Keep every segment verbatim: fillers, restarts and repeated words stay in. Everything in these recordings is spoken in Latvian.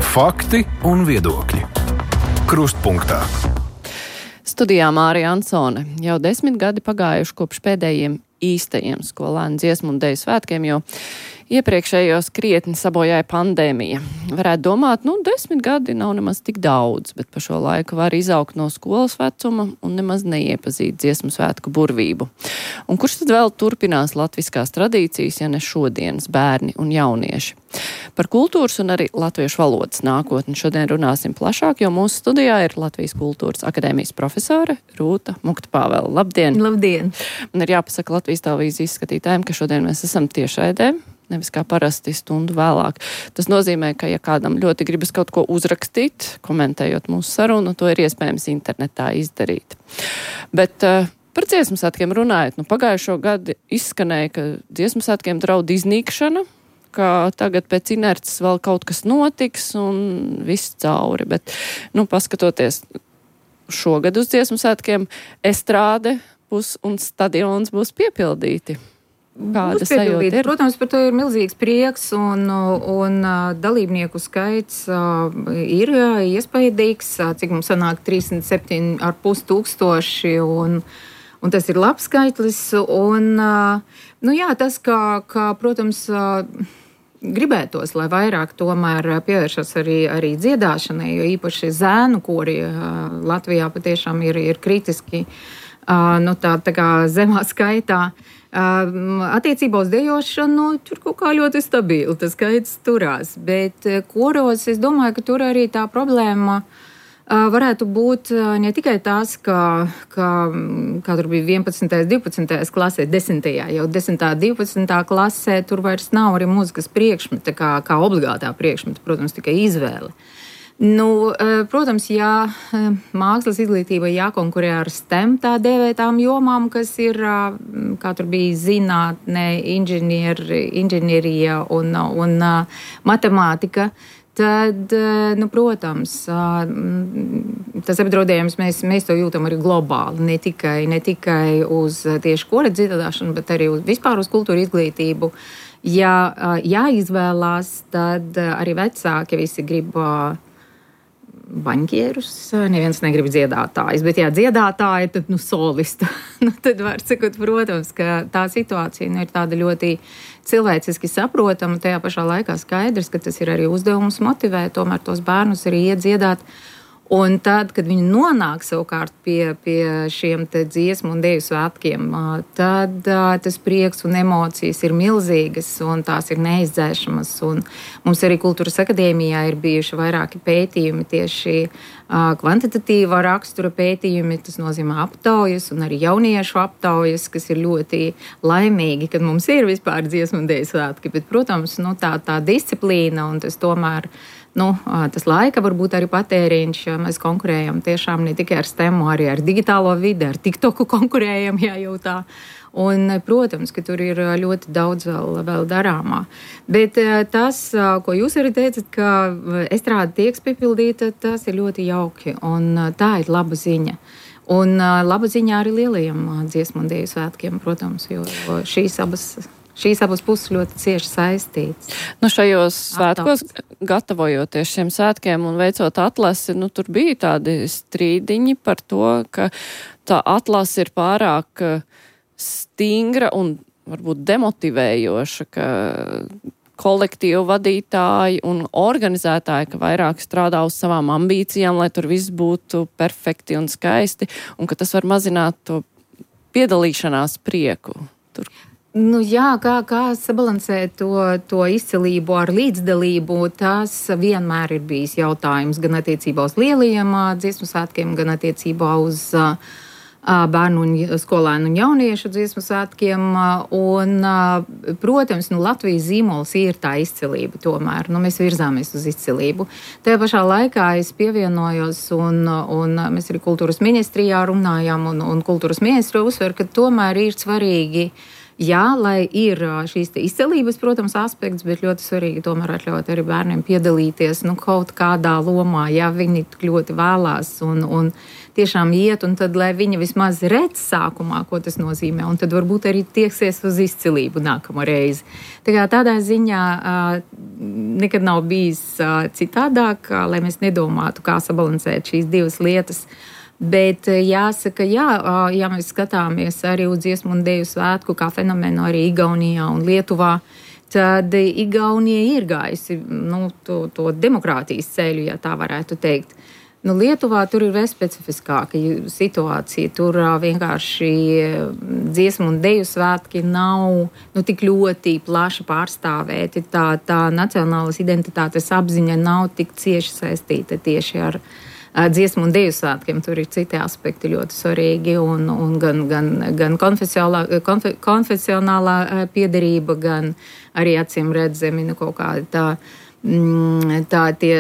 Fakti un viedokļi. Krustpunktā. Studijā Mārija Ansone. Jau desmit gadi pagājuši kopš pēdējiem īstajiem skolēnu dziesmu un deju svētkiem, jo iepriekšējos krietni sabojāja pandēmija. Varētu domāt, nu, desmit gadi nav nemaz tik daudz, bet pa šo laiku var izaugt no skolas vecuma un nemaz neiepazīt dziesmu svētku burvību. Un kurš tad vēl turpinās latviskās tradīcijas, ja ne šodienas bērni un jaunieši? Par kultūras un arī latviešu valodas nākotni šodien runāsim plašāk, jo mūsu studijā ir Latvijas kultūras akadēmijas profesore Rūta Mukta-Pāvela. Labdien! Labdien! Man ir jāpasaka Latvijas televīzijas skatītājiem, ka šodien mēs esam tiešraidē, nevis kā parasti stundu vēlāk. Tas nozīmē, ka ja kādam ļoti gribas kaut ko uzrakstīt, komentējot mūsu sarunu, to ir iespējams internetā izdarīt. Bet uh, par dziesmu svētkiem runājot, nu pagājušo gadu izskanēja, ka dziesmu svētkiem draud iznīkšana, ka tagad pēc inerces vēl kaut kas notiks un viss cauri. Bet, nu, paskatoties šogad uz dziesmu svētkiem, estrāde būs un stadions būs piepildīti. Kāda sajūta ir? Protams, par to ir milzīgs prieks un, un dalībnieku skaits ir iespaidīgs, cik mums sanāk trīsdesmit septiņi ar pus tūkstoši un, un tas ir labs skaitlis. Un, nu jā, tas, kā, kā protams, gribētos, lai vairāk tomēr pievēršas arī, arī dziedāšanai, jo īpaši zēnu kori Latvijā patiešām ir, ir kritiski nu, tā, tā kā zemā skaitā. Attiecībā uz dejošanu tur kaut kā ļoti stabili tas skaits turās, bet koros es domāju, ka tur arī tā problēma varētu būt ne tikai tās, ka, ka kā tur bija vienpadsmitajā, divpadsmitajā klasē, desmitajā, jau desmitā, divpadsmitā klasē tur vairs nav arī mūzikas priekšmeta, kā, kā obligātā priekšmeta, protams, tikai izvēle. Nu, protams, jā, mākslas izglītība jākonkurē ar STEM tā dēvētām jomām, kas ir, kā tur bija zinātne, inženieri, inženierija un, un matemātika, tad, nu, protams, tas apdraudējums mēs, mēs to jūtam arī globāli, ne tikai, ne tikai uz tieši kora dziedāšanu, bet arī uz, vispār uz kultūra izglītību. Ja jāizvēlās, tad arī vecāki visi grib baņķierus, neviens negrib dziedātājus, bet jā, dziedātāji, tad, nu, solista. nu, tad var sakot, protams, ka tā situācija nu, ir tāda ļoti cilvēciski saprotama, tajā pašā laikā skaidrs, ka tas ir arī uzdevums motivēt tomēr tos bērnus arī iet dziedāt. Un tad, kad viņi nonāk savukārt pie, pie šiem te dziesmu un deju svētkiem, tad tas prieks un emocijas ir milzīgas un tās ir neizdzēšamas. Un mums arī Kultūras akadēmijā ir bijuši vairāki pētījumi tieši kvantitatīva rakstura pētījumi, tas nozīmē aptaujas un arī jauniešu aptaujas, kas ir ļoti laimīgi, kad mums ir vispār dziesmu un deju svētki. Bet, protams, nu, tā, tā disciplīna un tas tomēr Nu, tas laika varbūt arī patēriņš, mēs konkurējam tiešām ne tikai ar STEM, arī ar digitālo vidi, ar TikToku konkurējam, jā, jau tā. Un, protams, ka tur ir ļoti daudz vēl, vēl darāmā. Bet tas, ko jūs arī teicat, ka estrāde tiek piepildīta, tas ir ļoti jauki, un tā ir laba ziņa. Un laba ziņa arī lielajiem dziesmu un deju svētkiem, protams, jo šīs abas... Šīs abas puses ļoti cieši saistītas. Nu, šajos svētkos, gatavojoties šiem svētkiem un veicot atlasi, nu, tur bija tādi strīdiņi par to, ka tā atlase ir pārāk stingra un varbūt demotivējoša, ka kolektīvu vadītāji un organizētāji, ka vairāk strādā uz savām ambīcijām, lai tur viss būtu perfekti un skaisti, un ka tas var mazināt to piedalīšanās prieku tur. Nu, jā, kā, kā sabalansēt to, to izcilību ar līdzdalību, tas vienmēr ir bijis jautājums gan attiecībā uz lielajiem dziesmu svētkiem, gan attiecībā uz uh, bērnu un skolēnu un jauniešu dziesmu svētkiem. Un, uh, protams, nu, Latvijas zīmols ir tā izcilība tomēr. Nu, mēs virzāmies uz izcilību. Tajā pašā laikā es pievienojos un, un mēs arī kultūras ministrijā runājām un, un kultūras ministru uzsver, ka tomēr ir svarīgi jā, lai ir šīs izcelības, protams, aspekts, bet ļoti svarīgi tomēr atļaut arī bērniem piedalīties nu, kaut kādā lomā, ja viņi ļoti vēlās un, un tiešām iet, un tad, lai viņi vismaz redz sākumā, ko tas nozīmē, un tad varbūt arī tieksies uz izcilību nākamo reizi. Tā kā tādā ziņā nekad nav bijis citādāk, lai mēs nedomātu, kā sabalansēt šīs divas lietas. Bet jāsaka, jā, ja mēs skatāmies arī uz dziesmu un deju svētku kā fenomenu arī Igaunijā un Lietuvā, tad Igaunija ir gājusi nu, to, to demokrātijas ceļu, ja tā varētu teikt. Nu, Lietuvā tur ir vēl specifiskāka situācija. Tur vienkārši dziesmu un deju svētki nav nu, tik ļoti plaši pārstāvēti. Tā, tā nacionālas identitātes apziņa nav tik cieši saistīta tieši ar dziesmu un deju svētkiem. Tur ir citi aspekti ļoti svarīgi, un, un gan, gan, gan konfesionālā, konfe, konfesionālā piederība, gan arī acīm redzami nu, kaut kāda tā, tā tie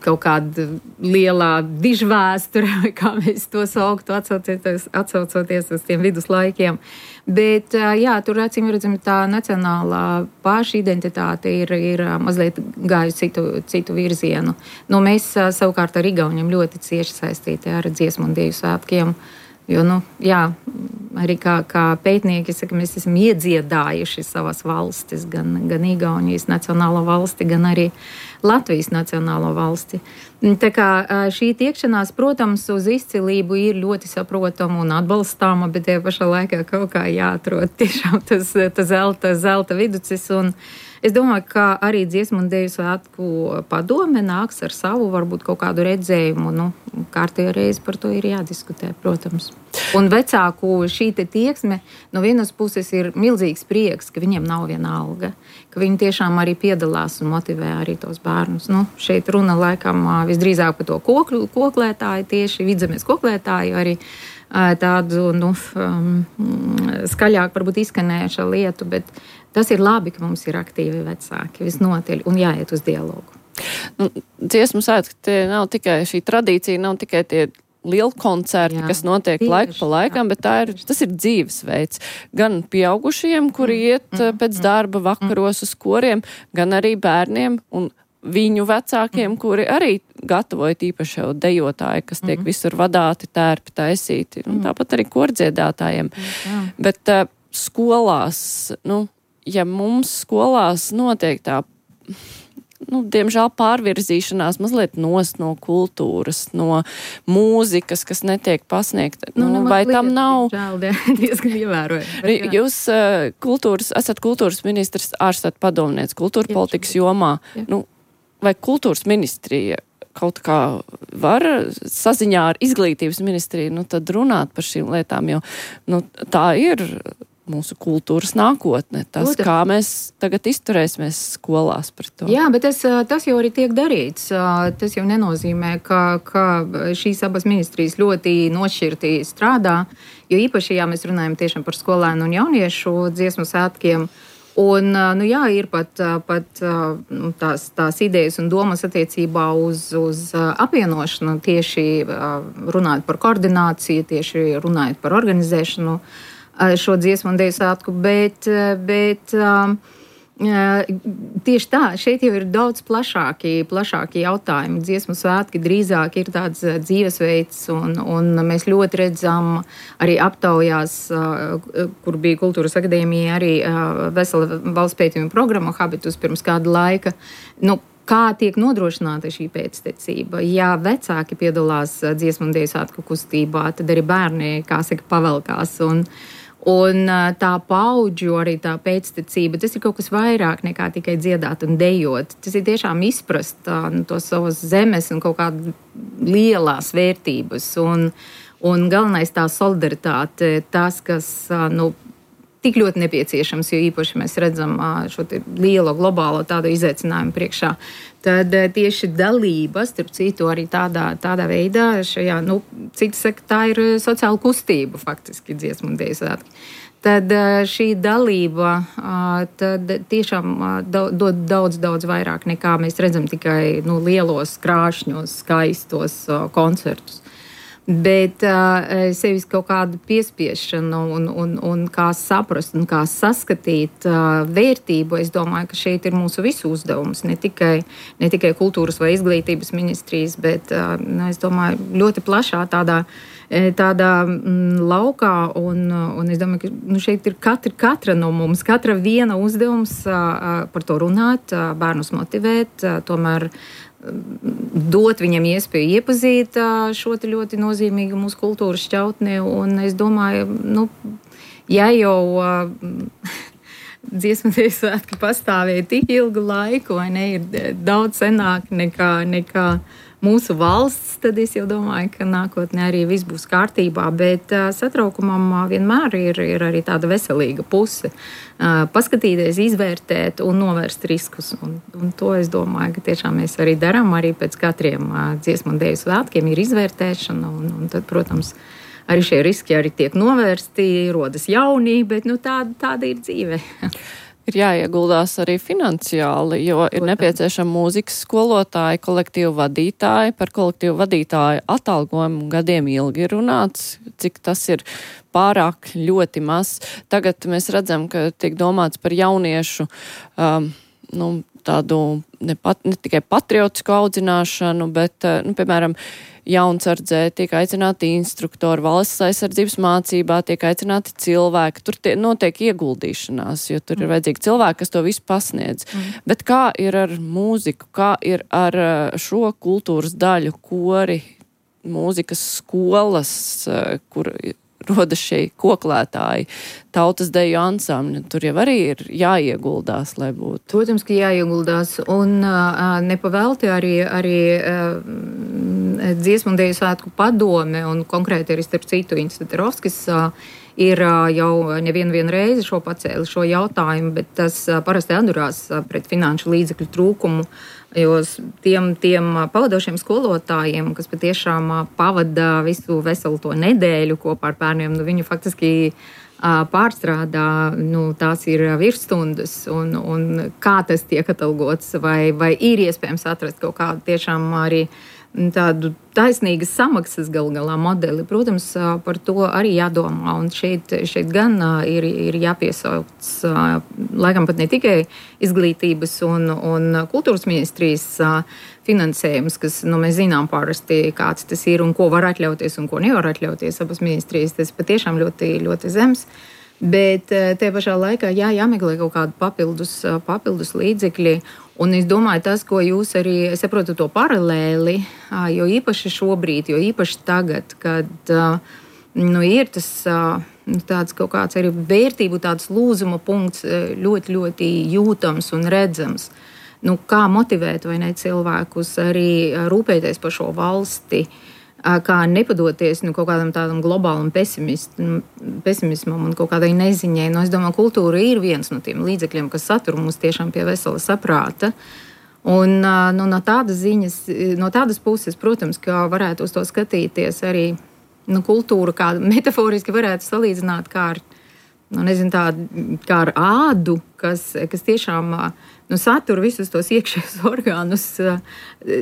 kaut kāda lielā dižvēsture, vai kā mēs to sauktu, atsaucoties, atsaucoties uz tiem viduslaikiem. Bet, jā, tur acīm redzami tā nacionālā pašidentitāte ir, ir mazliet gājusi citu, citu virzienu. Nu, mēs savukārt ar Igauniem ļoti cieši saistīti ar dziesmu un deju svētkiem. Jo, nu, jā, arī kā, kā pētnieki saka, mēs esam iedziedājuši savas valstis, gan, gan Igaunijas nacionālo valsti, gan arī Latvijas nacionālo valsti. Tā kā šī tiekšanās, protams, uz izcilību ir ļoti saprotama un atbalstāma, bet tie pašā laikā kaut kā jāatrod tiešām tas, tas zelta, zelta viducis. Un es domāju, ka arī dziesmu un deju svētku padome nāks ar savu, varbūt kaut kādu redzējumu. Nu, kārtējo reizi par to ir jādiskutē, protams. Un vecāku šī te tieksme no vienas puses ir milzīgs prieks, ka viņiem nav viena alga, ka viņi tiešām arī piedalās un motivē arī tos bērnus. Nu, šeit runa laikam visdrīzāk par to koklu, koklētāju, tieši vidzemes koklētāju, arī tādu nu, um, skaļāk varbūt izskanējuša lietu, bet tas ir labi, ka mums ir aktīvi vecāki visnotaļ un jāiet uz dialogu. Nu, dziesmu svētki, tie nav tikai šī tradīcija, nav tikai tie lieli koncerti, jā, kas notiek tieši, laiku pa laikam, jā, bet tā ir, tas ir dzīvesveids. Gan pieaugušiem, kuri iet mm, pēc darba vakaros uz koriem, gan arī bērniem un viņu vecākiem, kuri arī gatavoja īpaši jau dejotāji, kas tiek mm. visur vadāti, tērpi, taisīti. Un tāpat arī kordziedātājiem. Jā. Bet uh, skolās, nu, ja mums skolās notiek tā, nu, diemžēl pārvirzīšanās mazliet nost no kultūras, no mūzikas, kas netiek pasniegta. Nu, nu, vai tam nav... Diemžēl, diezgan ievērojami. Jūs uh, kultūras, esat kultūras ministrs, ārstat padomniec kultūra politikas jomā. Jā. Nu, vai kultūras ministrija kaut kā var saziņā ar izglītības ministriju, nu, tad runāt par šīm lietām, jo, nu, tā ir mūsu kultūras nākotne, tas, Lūdzu. Kā mēs tagad izturēsimies skolās par to. Jā, bet tas, tas jau arī tiek darīts. Tas jau nenozīmē, ka, ka šīs abas ministrijas ļoti nošķirti strādā, jo īpaši, ja mēs runājam tiešām par skolēnu un jauniešu dziesmu svētkiem, un, nu jā, ir pat, pat tās, tās idejas un domas attiecībā uz, uz apvienošanu, tieši runājot par koordināciju, tieši runājot par organizēšanu, šo dziesmu un deju svētku, bet, bet tieši tā, šeit jau ir daudz plašāki, plašāki jautājumi. Dziesmu svētki drīzāk ir tāds dzīvesveids, un, un mēs ļoti redzam arī aptaujās, kur bija Kultūras akadēmija, arī vesela valsts pētījuma programma Habitus pirms kāda laika. Nu, kā tiek nodrošināta šī pēctecība? Ja vecāki piedalās dziesmu un deju svētku kustībā, tad arī bērni, kā saka, pavelkās. Un, un tā paudžu arī tā pēctecība, tas ir kaut kas vairāk nekā tikai dziedāt un dejot. Tas ir tiešām izprast nu, to savas zemes un kaut kādas lielās vērtības. Un, un galvenais tā solidaritāte, tas, kas, nu, tik ļoti nepieciešams, jo īpaši mēs redzam šo lielo globālo tādu izaicinājumu priekšā. Tad tieši dalība, starp citu, arī tādā, tādā veidā, šajā, nu, citi saka, tā ir sociāla kustība, faktiski, dziesmu un deju svētki. Tad šī dalība tad tiešām dod daudz, daudz vairāk nekā mēs redzam tikai nu, lielos krāšņos, skaistos koncertus. Bet uh, sevis kaut kāda piespiešana un, un, un kā saprast un kā saskatīt uh, vērtību, es domāju, ka šeit ir mūsu visu uzdevums. Ne tikai, ne tikai kultūras vai izglītības ministrijas, bet uh, nu, es domāju, ļoti plašā tādā, tādā mm, laukā. Un, un es domāju, ka nu, šeit ir katra, katra no mums, katra viena uzdevums uh, par to runāt, uh, bērnus motivēt, uh, tomēr dot viņam iespēju iepazīt šo ļoti nozīmīgu mūsu kultūras šķautni. Un es domāju, nu, ja jau dziesmu dēļ svētki pastāvēja tik ilgu laiku, vai ne, ir daudz senāk nekā, nekā mūsu valsts, tad es jau domāju, ka nākotnē arī viss būs kārtībā, bet uh, satraukumam uh, vienmēr ir, ir arī tāda veselīga puse. Uh, paskatīties, izvērtēt un novērst riskus. Un, un to es domāju, ka tiešām mēs arī darām, arī pēc katriem uh, dziesmu un dēļu svētkiem ir izvērtēšana, un, un tad, protams, arī šie riski arī tiek novērsti, rodas jauni, bet nu, tāda, tāda ir dzīve. Ir jāieguldās arī finansiāli, jo ir nepieciešama mūzikas skolotāji, kolektīvu vadītāji. Par kolektīvu vadītāju atalgojumu gadiem ilgi runāts, cik tas ir pārāk ļoti maz. Tagad mēs redzam, ka tiek domāts par jauniešu um, nu, tādu ne, pat, ne tikai patriotisku audzināšanu, bet, nu, piemēram, jaunsardzē tiek aicināti instruktori, valsts aizsardzības mācībā tiek aicināti cilvēki. Tur tie, notiek ieguldīšanās, jo tur mm. ir vajadzīgi cilvēki, kas to visu pasniedz. Mm. Bet kā ir ar mūziku, kā ir ar šo kultūras daļu, kori, mūzikas skolas, kur rodas šie koklētāji, tautas deju ansambļi? Tur jau arī ir jāieguldās, lai būtu. Protams, ka jāieguldās. Un uh, nepavēlti arī, arī uh, dziesmu un deju svētku padome, un konkrēti arī starp citu Inns Teterovskis uh, ir uh, jau nevienu vienu reizi šo pacēli šo jautājumu, bet tas uh, parasti atdurās uh, pret finanšu līdzekļu trūkumu, jo tiem, tiem pavadošiem skolotājiem, kas patiešām uh, pavada visu veselu to nedēļu kopā ar bērniem, nu, viņu faktiski uh, pārstrādā, nu, tās ir virsstundas, un, un kā tas tiek atalgots, vai, vai ir iespējams atrast kaut kādu tiešām arī tādu taisnīgas samaksas gal galā modeli. Protams, par to arī jādomā, un šeit, šeit gan ir, ir jāpiesauc, laikam pat ne tikai izglītības un, un kultūras ministrijas finansējums, kas, nu, mēs zinām parasti, kāds tas ir un ko var atļauties un ko nevar atļauties abas ministrijas, tas patiešām ļoti, ļoti zems. Bet te pašā laikā jā, jāmeklē kaut kādu papildus, papildus līdzekļi. Un es domāju, tas, ko jūs arī saprotat to paralēli, jo īpaši šobrīd, jo īpaši tagad, kad nu, ir tas tāds kaut kāds arī vērtību, tāds lūzuma punkts ļoti, ļoti jūtams un redzams. Nu, kā motivēt vai ne cilvēkus arī rūpēties par šo valsti, kā nepadoties nu, kaut kādam tādam globālam pesimismam un kaut kādai neziņai. Nu, es domāju, kultūra ir viens no tiem līdzekļiem, kas satur mūs tiešām pie vesela saprāta. Un nu, no tādas ziņas, no tādas puses, protams, ka varētu uz to skatīties arī nu, kultūra, kā metaforiski varētu salīdzināt kā ar, nu, nezinu, tā, kā ar ādu, kas, kas tiešām nu, satur visus tos iekšējos orgānus,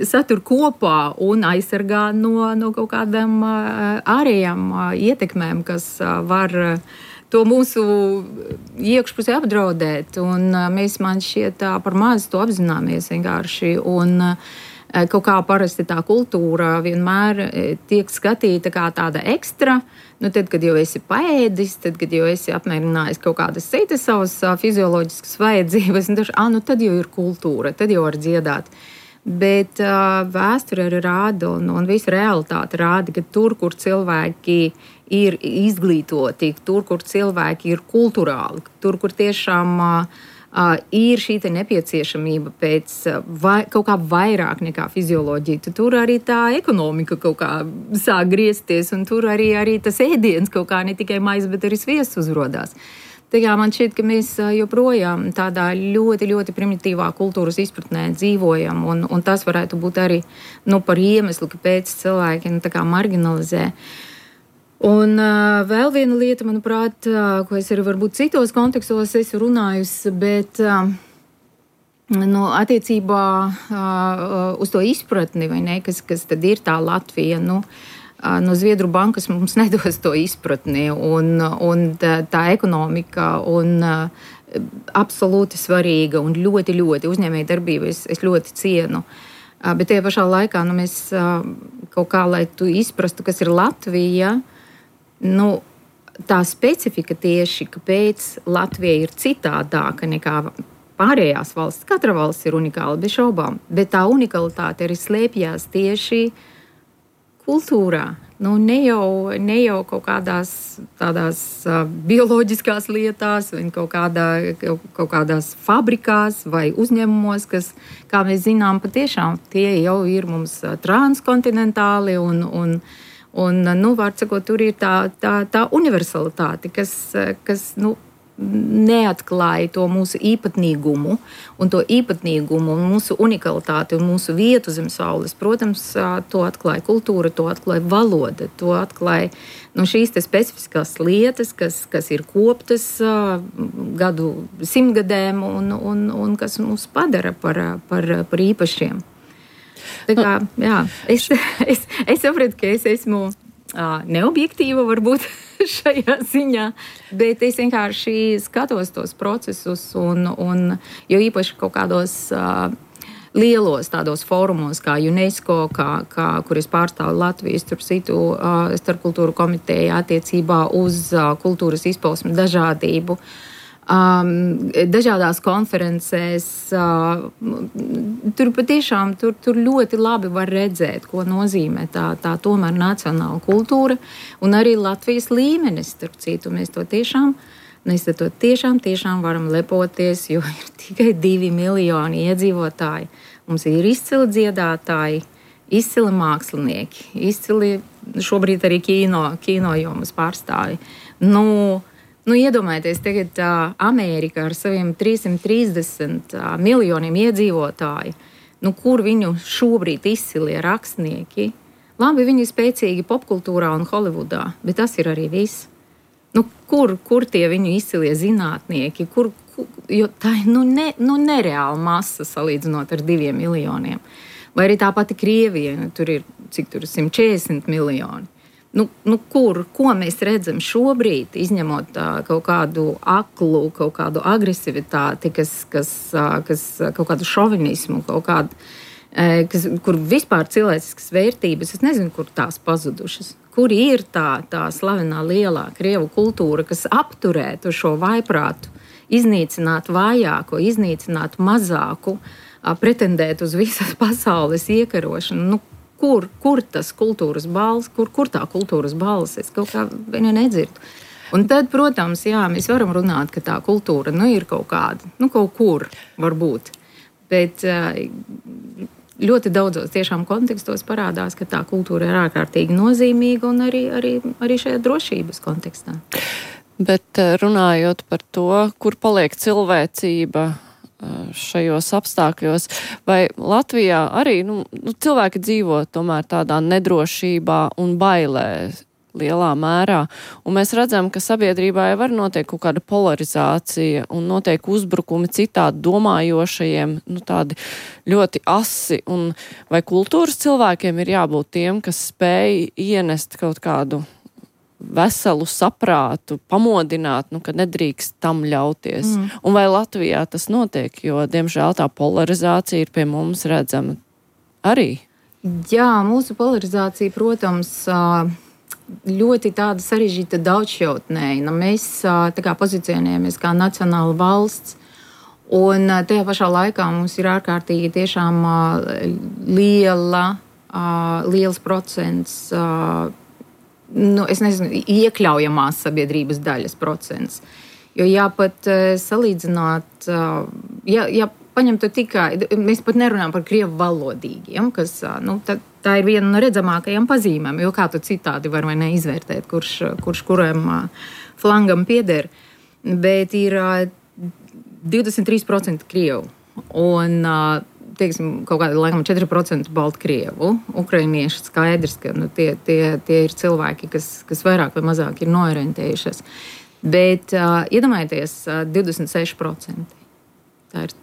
satur kopā un aizsargā no, no kaut kādām ārējām ietekmēm, kas var to mūsu iekšpusi apdraudēt. Un mēs, man šķiet, par maz to apzināmies vienkārši. Un kaut kā parasti tā kultūra vienmēr tiek skatīta kā tāda ekstra. Nu, tad, kad jau esi paēdis, tad, kad jau esi apmierinājis kaut kādas citas savas fizioloģiskas vajadzības, un taču, ah, nu, tad jau ir kultūra, tad jau var dziedāt. Bet uh, vēsture arī rāda, un, un visa realitāte rāda, ka tur, kur cilvēki ir izglītoti, tur, kur cilvēki ir kulturāli, tur, kur tiešām uh, Uh, ir šī nepieciešamība pēc uh, vai, kaut kā vairāk nekā fizioloģija. Tur arī tā ekonomika kaut kā sāk griezties, un tur arī, arī tas ēdiens kaut kā ne tikai maize, bet arī sviests uzrodās. Tā kā man šķiet, ka mēs joprojām tādā ļoti, ļoti primitīvā kultūras izpratnē dzīvojam, un, un tas varētu būt arī nu, par iemeslu, kāpēc cilvēki nu, tā kā marginalizē. Un uh, vēl viena lieta, manuprāt, uh, ko es arī varbūt citos kontekstos esmu runājusi, bet uh, nu, attiecībā uh, uz to izpratni, vai ne, kas, kas tad ir tā Latvija, nu, no Zviedru bankas mums nedos to izpratni, un, un tā, tā ekonomika un absolūti svarīga un ļoti, ļoti uzņēmēja darbība es, es ļoti cienu. Bet tajā pašā laikā nu, mēs kaut kā, lai tu izprastu, kas ir Latvija, nu, tā specifika tieši, kāpēc Latvija ir citādāka nekā pārējās valsts. Katra valsts ir unikāla, bez šaubām, bet tā unikalitāte arī slēpjās tieši kultūrā. Nu, ne, jau, ne jau kaut kādās tādās uh, bioloģiskās lietās, vai kaut, kādā, kaut kādās fabrikās vai uzņēmumos, kas, kā mēs zinām, patiešām tie jau ir mums uh, transkontinentāli un, un, un nu, var sakot, tur ir tā, tā, tā universalitāte, kas, kas nu, neatklāja to mūsu īpatnīgumu un to īpatnīgumu un mūsu unikalitāti un mūsu vietu zem saules. Protams, to atklāja kultūra, to atklāja valoda, to atklāja nu, šīs te specifiskās lietas, kas, kas ir koptas gadu simtgadēm un, un, un kas mūs padara par, par, par īpašiem. Tā kā, jā, es, es, es sapratu, ka es esmu neobjektīva varbūt šajā ziņā, bet es vienkārši skatos tos procesus un, un jo īpaši kaut kādos uh, lielos tādos fórumos kā UNESCO, kā, kā, kur es pārstāvu Latvijas tur citu uh, starpkultūru komiteju attiecībā uz uh, kultūras izpausmi dažādību. Um, dažādās konferencēs uh, tur patiešām tur, tur ļoti labi var redzēt, ko nozīmē tā, tā tomēr nacionāla kultūra un arī Latvijas līmenis, starp citu, mēs to tiešām mēs to tiešām, tiešām varam lepoties, jo ir tikai divi miljoni iedzīvotāji. Mums ir izcili dziedātāji, izcili mākslinieki, izcili šobrīd arī kino, kino jomas pārstāvi. Nu, Nu, iedomājieties, tagad uh, Amerika ar saviem trīsimt trīsdesmit uh, miljoniem iedzīvotāju, nu, kur viņu šobrīd izcilie rakstnieki. Labi, viņi ir spēcīgi popkultūrā un Holivudā, bet tas ir arī viss. Nu, kur, kur tie viņu izcilie zinātnieki? Kur, kur, jo tā ir nu, ne, nu, nereāla masa salīdzinot ar diviem miljoniem. Vai arī tā pati Krievija, nu, tur ir, cik tur ir simt četrdesmit miljoni. Nu, nu, kur, ko mēs redzam šobrīd, izņemot tā, kaut kādu aklu, kaut kādu agresivitāti, kas, kas, kas kaut kādu šovinismu, kaut kādu, kas, kur vispār cilvēciskas vērtības, es nezinu, kur tās pazudušas. Kur ir tā, tā slavenā lielā krievu kultūra, kas apturētu šo vaiprātu, iznīcināt vājāko, iznīcināt mazāku, pretendēt uz visas pasaules iekarošanu. Nu, Kur, kur tas kultūras balss, kur, kur tā kultūras balss, es kaut kā viņu nedzirdu. Un tad, protams, jā, mēs varam runāt, ka tā kultūra, nu, ir kaut kāda, nu, kaut kur varbūt. Bet ļoti daudzos tiešām kontekstos parādās, ka tā kultūra ir ārkārtīgi nozīmīga un arī, arī, arī šajā drošības kontekstā. Bet runājot par to, kur paliek cilvēcība šajos apstākļos, vai Latvijā arī nu, nu, cilvēki dzīvo tomēr tādā nedrošībā un bailē lielā mērā, un mēs redzam, ka sabiedrībā jau var notiek kaut kāda polarizācija un notiek uzbrukumi citādi domājošajiem, nu tādi ļoti asi, un vai kultūras cilvēkiem ir jābūt tiem, kas spēj ienest kaut kādu veselu saprātu, pamodināt, nu, ka nedrīkst tam ļauties. Mm. Un vai Latvijā tas notiek, jo, diemžēl, tā polarizācija ir pie mums redzama arī? Jā, mūsu polarizācija, protams, ļoti tāda sarežģīta daudzšķautnēja. Mēs tā kā pozicionējamies kā nacionāla valsts, un tajā pašā laikā mums ir ārkārtīgi tiešām liela, liels procents Nu, es nezinu, iekļaujamās sabiedrības daļas procents. Jo jāpat salīdzināt, ja, ja paņemtu tikai, mēs pat nerunājam par krievu valodīgiem, kas, nu, tā, tā ir viena no redzamākajām pazīmēm, jo kā tu citādi var vai neizvērtēt, kurš, kurš kuram flangam pieder, bet ir divdesmit trīs procenti krievu un teiksim, kaut kāda laikam četri procenti Baltkrievu, ukrainieši skaidrs, ka nu, tie, tie, tie ir cilvēki, kas, kas vairāk vai mazāk ir noorientējušies. Bet uh, iedomājieties, uh, divdesmit seši procenti. Tā ir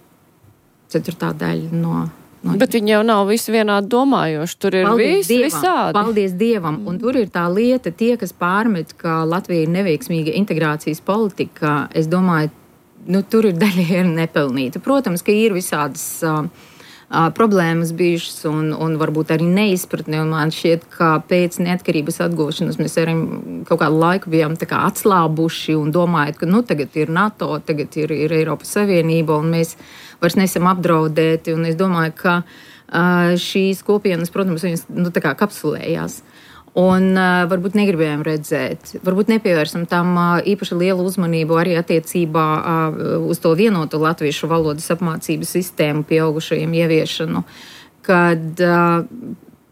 ceturtā daļa no Nu, Bet viņi jau nav visi vienādi domājoši. Tur ir paldies visi Dievam, visādi. Paldies Dievam. Un tur ir tā lieta, tie, kas pārmet, ka Latvija ir neveiksmīga integrācijas politika, es domāju, nu, tur ir daļai ir nepelnīta. Protams, ka ir visādas uh, uh, problēmas bijušas un, un varbūt arī neizpratne. Un man šķiet, ka pēc neatkarības atgūšanas mēs arī kaut kādu laiku bijām tā kā atslābuši un domājot, ka nu, tagad ir NATO, tagad ir, ir Eiropas Savienība un mēs vairs nesam apdraudēti, un es domāju, ka uh, šīs kopienas, protams, viņas nu, tā kā kapsulējās. Un uh, varbūt negribējām redzēt, varbūt nepievērsam tam uh, īpaši lielu uzmanību arī attiecībā uh, uz to vienotu latviešu valodas apmācības sistēmu pieaugušajiem ieviešanu, kad uh,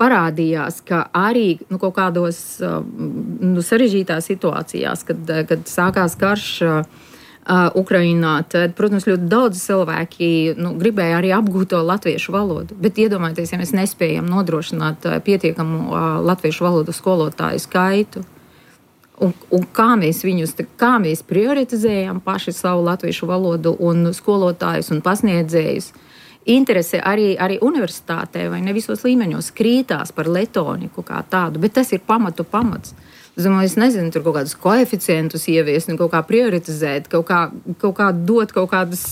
parādījās, ka arī nu, kaut kādos uh, nu, sarežģītās situācijās, kad, kad sākās karš uh, Uh, Ukrainā, tad, protams, ļoti daudz cilvēki nu, gribēja arī apgūt to latviešu valodu. Bet iedomājieties, ja mēs nespējam nodrošināt uh, pietiekamu uh, latviešu valodu skolotāju skaitu, un, un kā mēs viņus, kā mēs prioritizējam paši savu latviešu valodu un skolotājus un pasniedzējus. Interese arī, arī universitātē vai ne visos līmeņos krītās par letoniku kā tādu, bet tas ir pamatu pamats. Es domāju, es nezinu, tur kaut kādus koeficientus ieviest, kaut kā prioritizēt, kaut kā, kaut kā dot kaut kādus,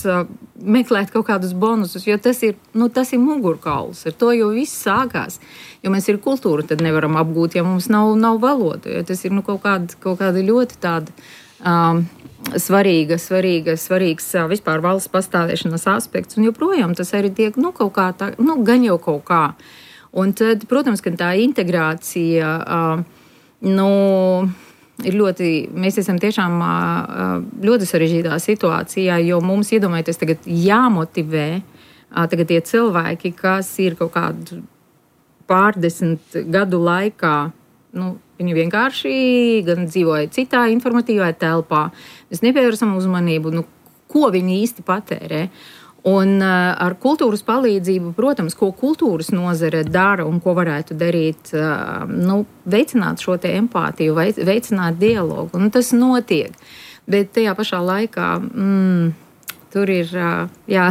meklēt kaut kādus bonusus, jo tas ir, nu, tas ir mugurkauls. Ar to jau viss sākās. Jo mēs ir kultūru, tad nevaram apgūt, ja mums nav, nav valoda. Jo tas ir nu, kaut, kāda, kaut kāda ļoti tāda um, svarīga, svarīga, svarīgs vispār valsts pastāvēšanas aspekts. Un joprojām tas arī tiek, nu, kaut kā tā, nu, gan jau kaut kā. Un tad, protams, ka tā integrācija... Uh, Nu, ir ļoti, mēs esam tiešām ļoti sarežģītā situācijā, jo mums, iedomājieties, tagad jāmotivē tagad tie cilvēki, kas ir kaut kādu pārdesmit gadu laikā, nu, viņi vienkārši gan dzīvoja citā informatīvā telpā, mēs nepievērsam uzmanību, nu, ko viņi īsti patērē. Un uh, ar kultūras palīdzību, protams, ko kultūras nozare dara un ko varētu darīt, uh, nu, veicināt šo te empātiju, veicināt dialogu. Un tas notiek. Bet tajā pašā laikā mm, tur ir uh, jā,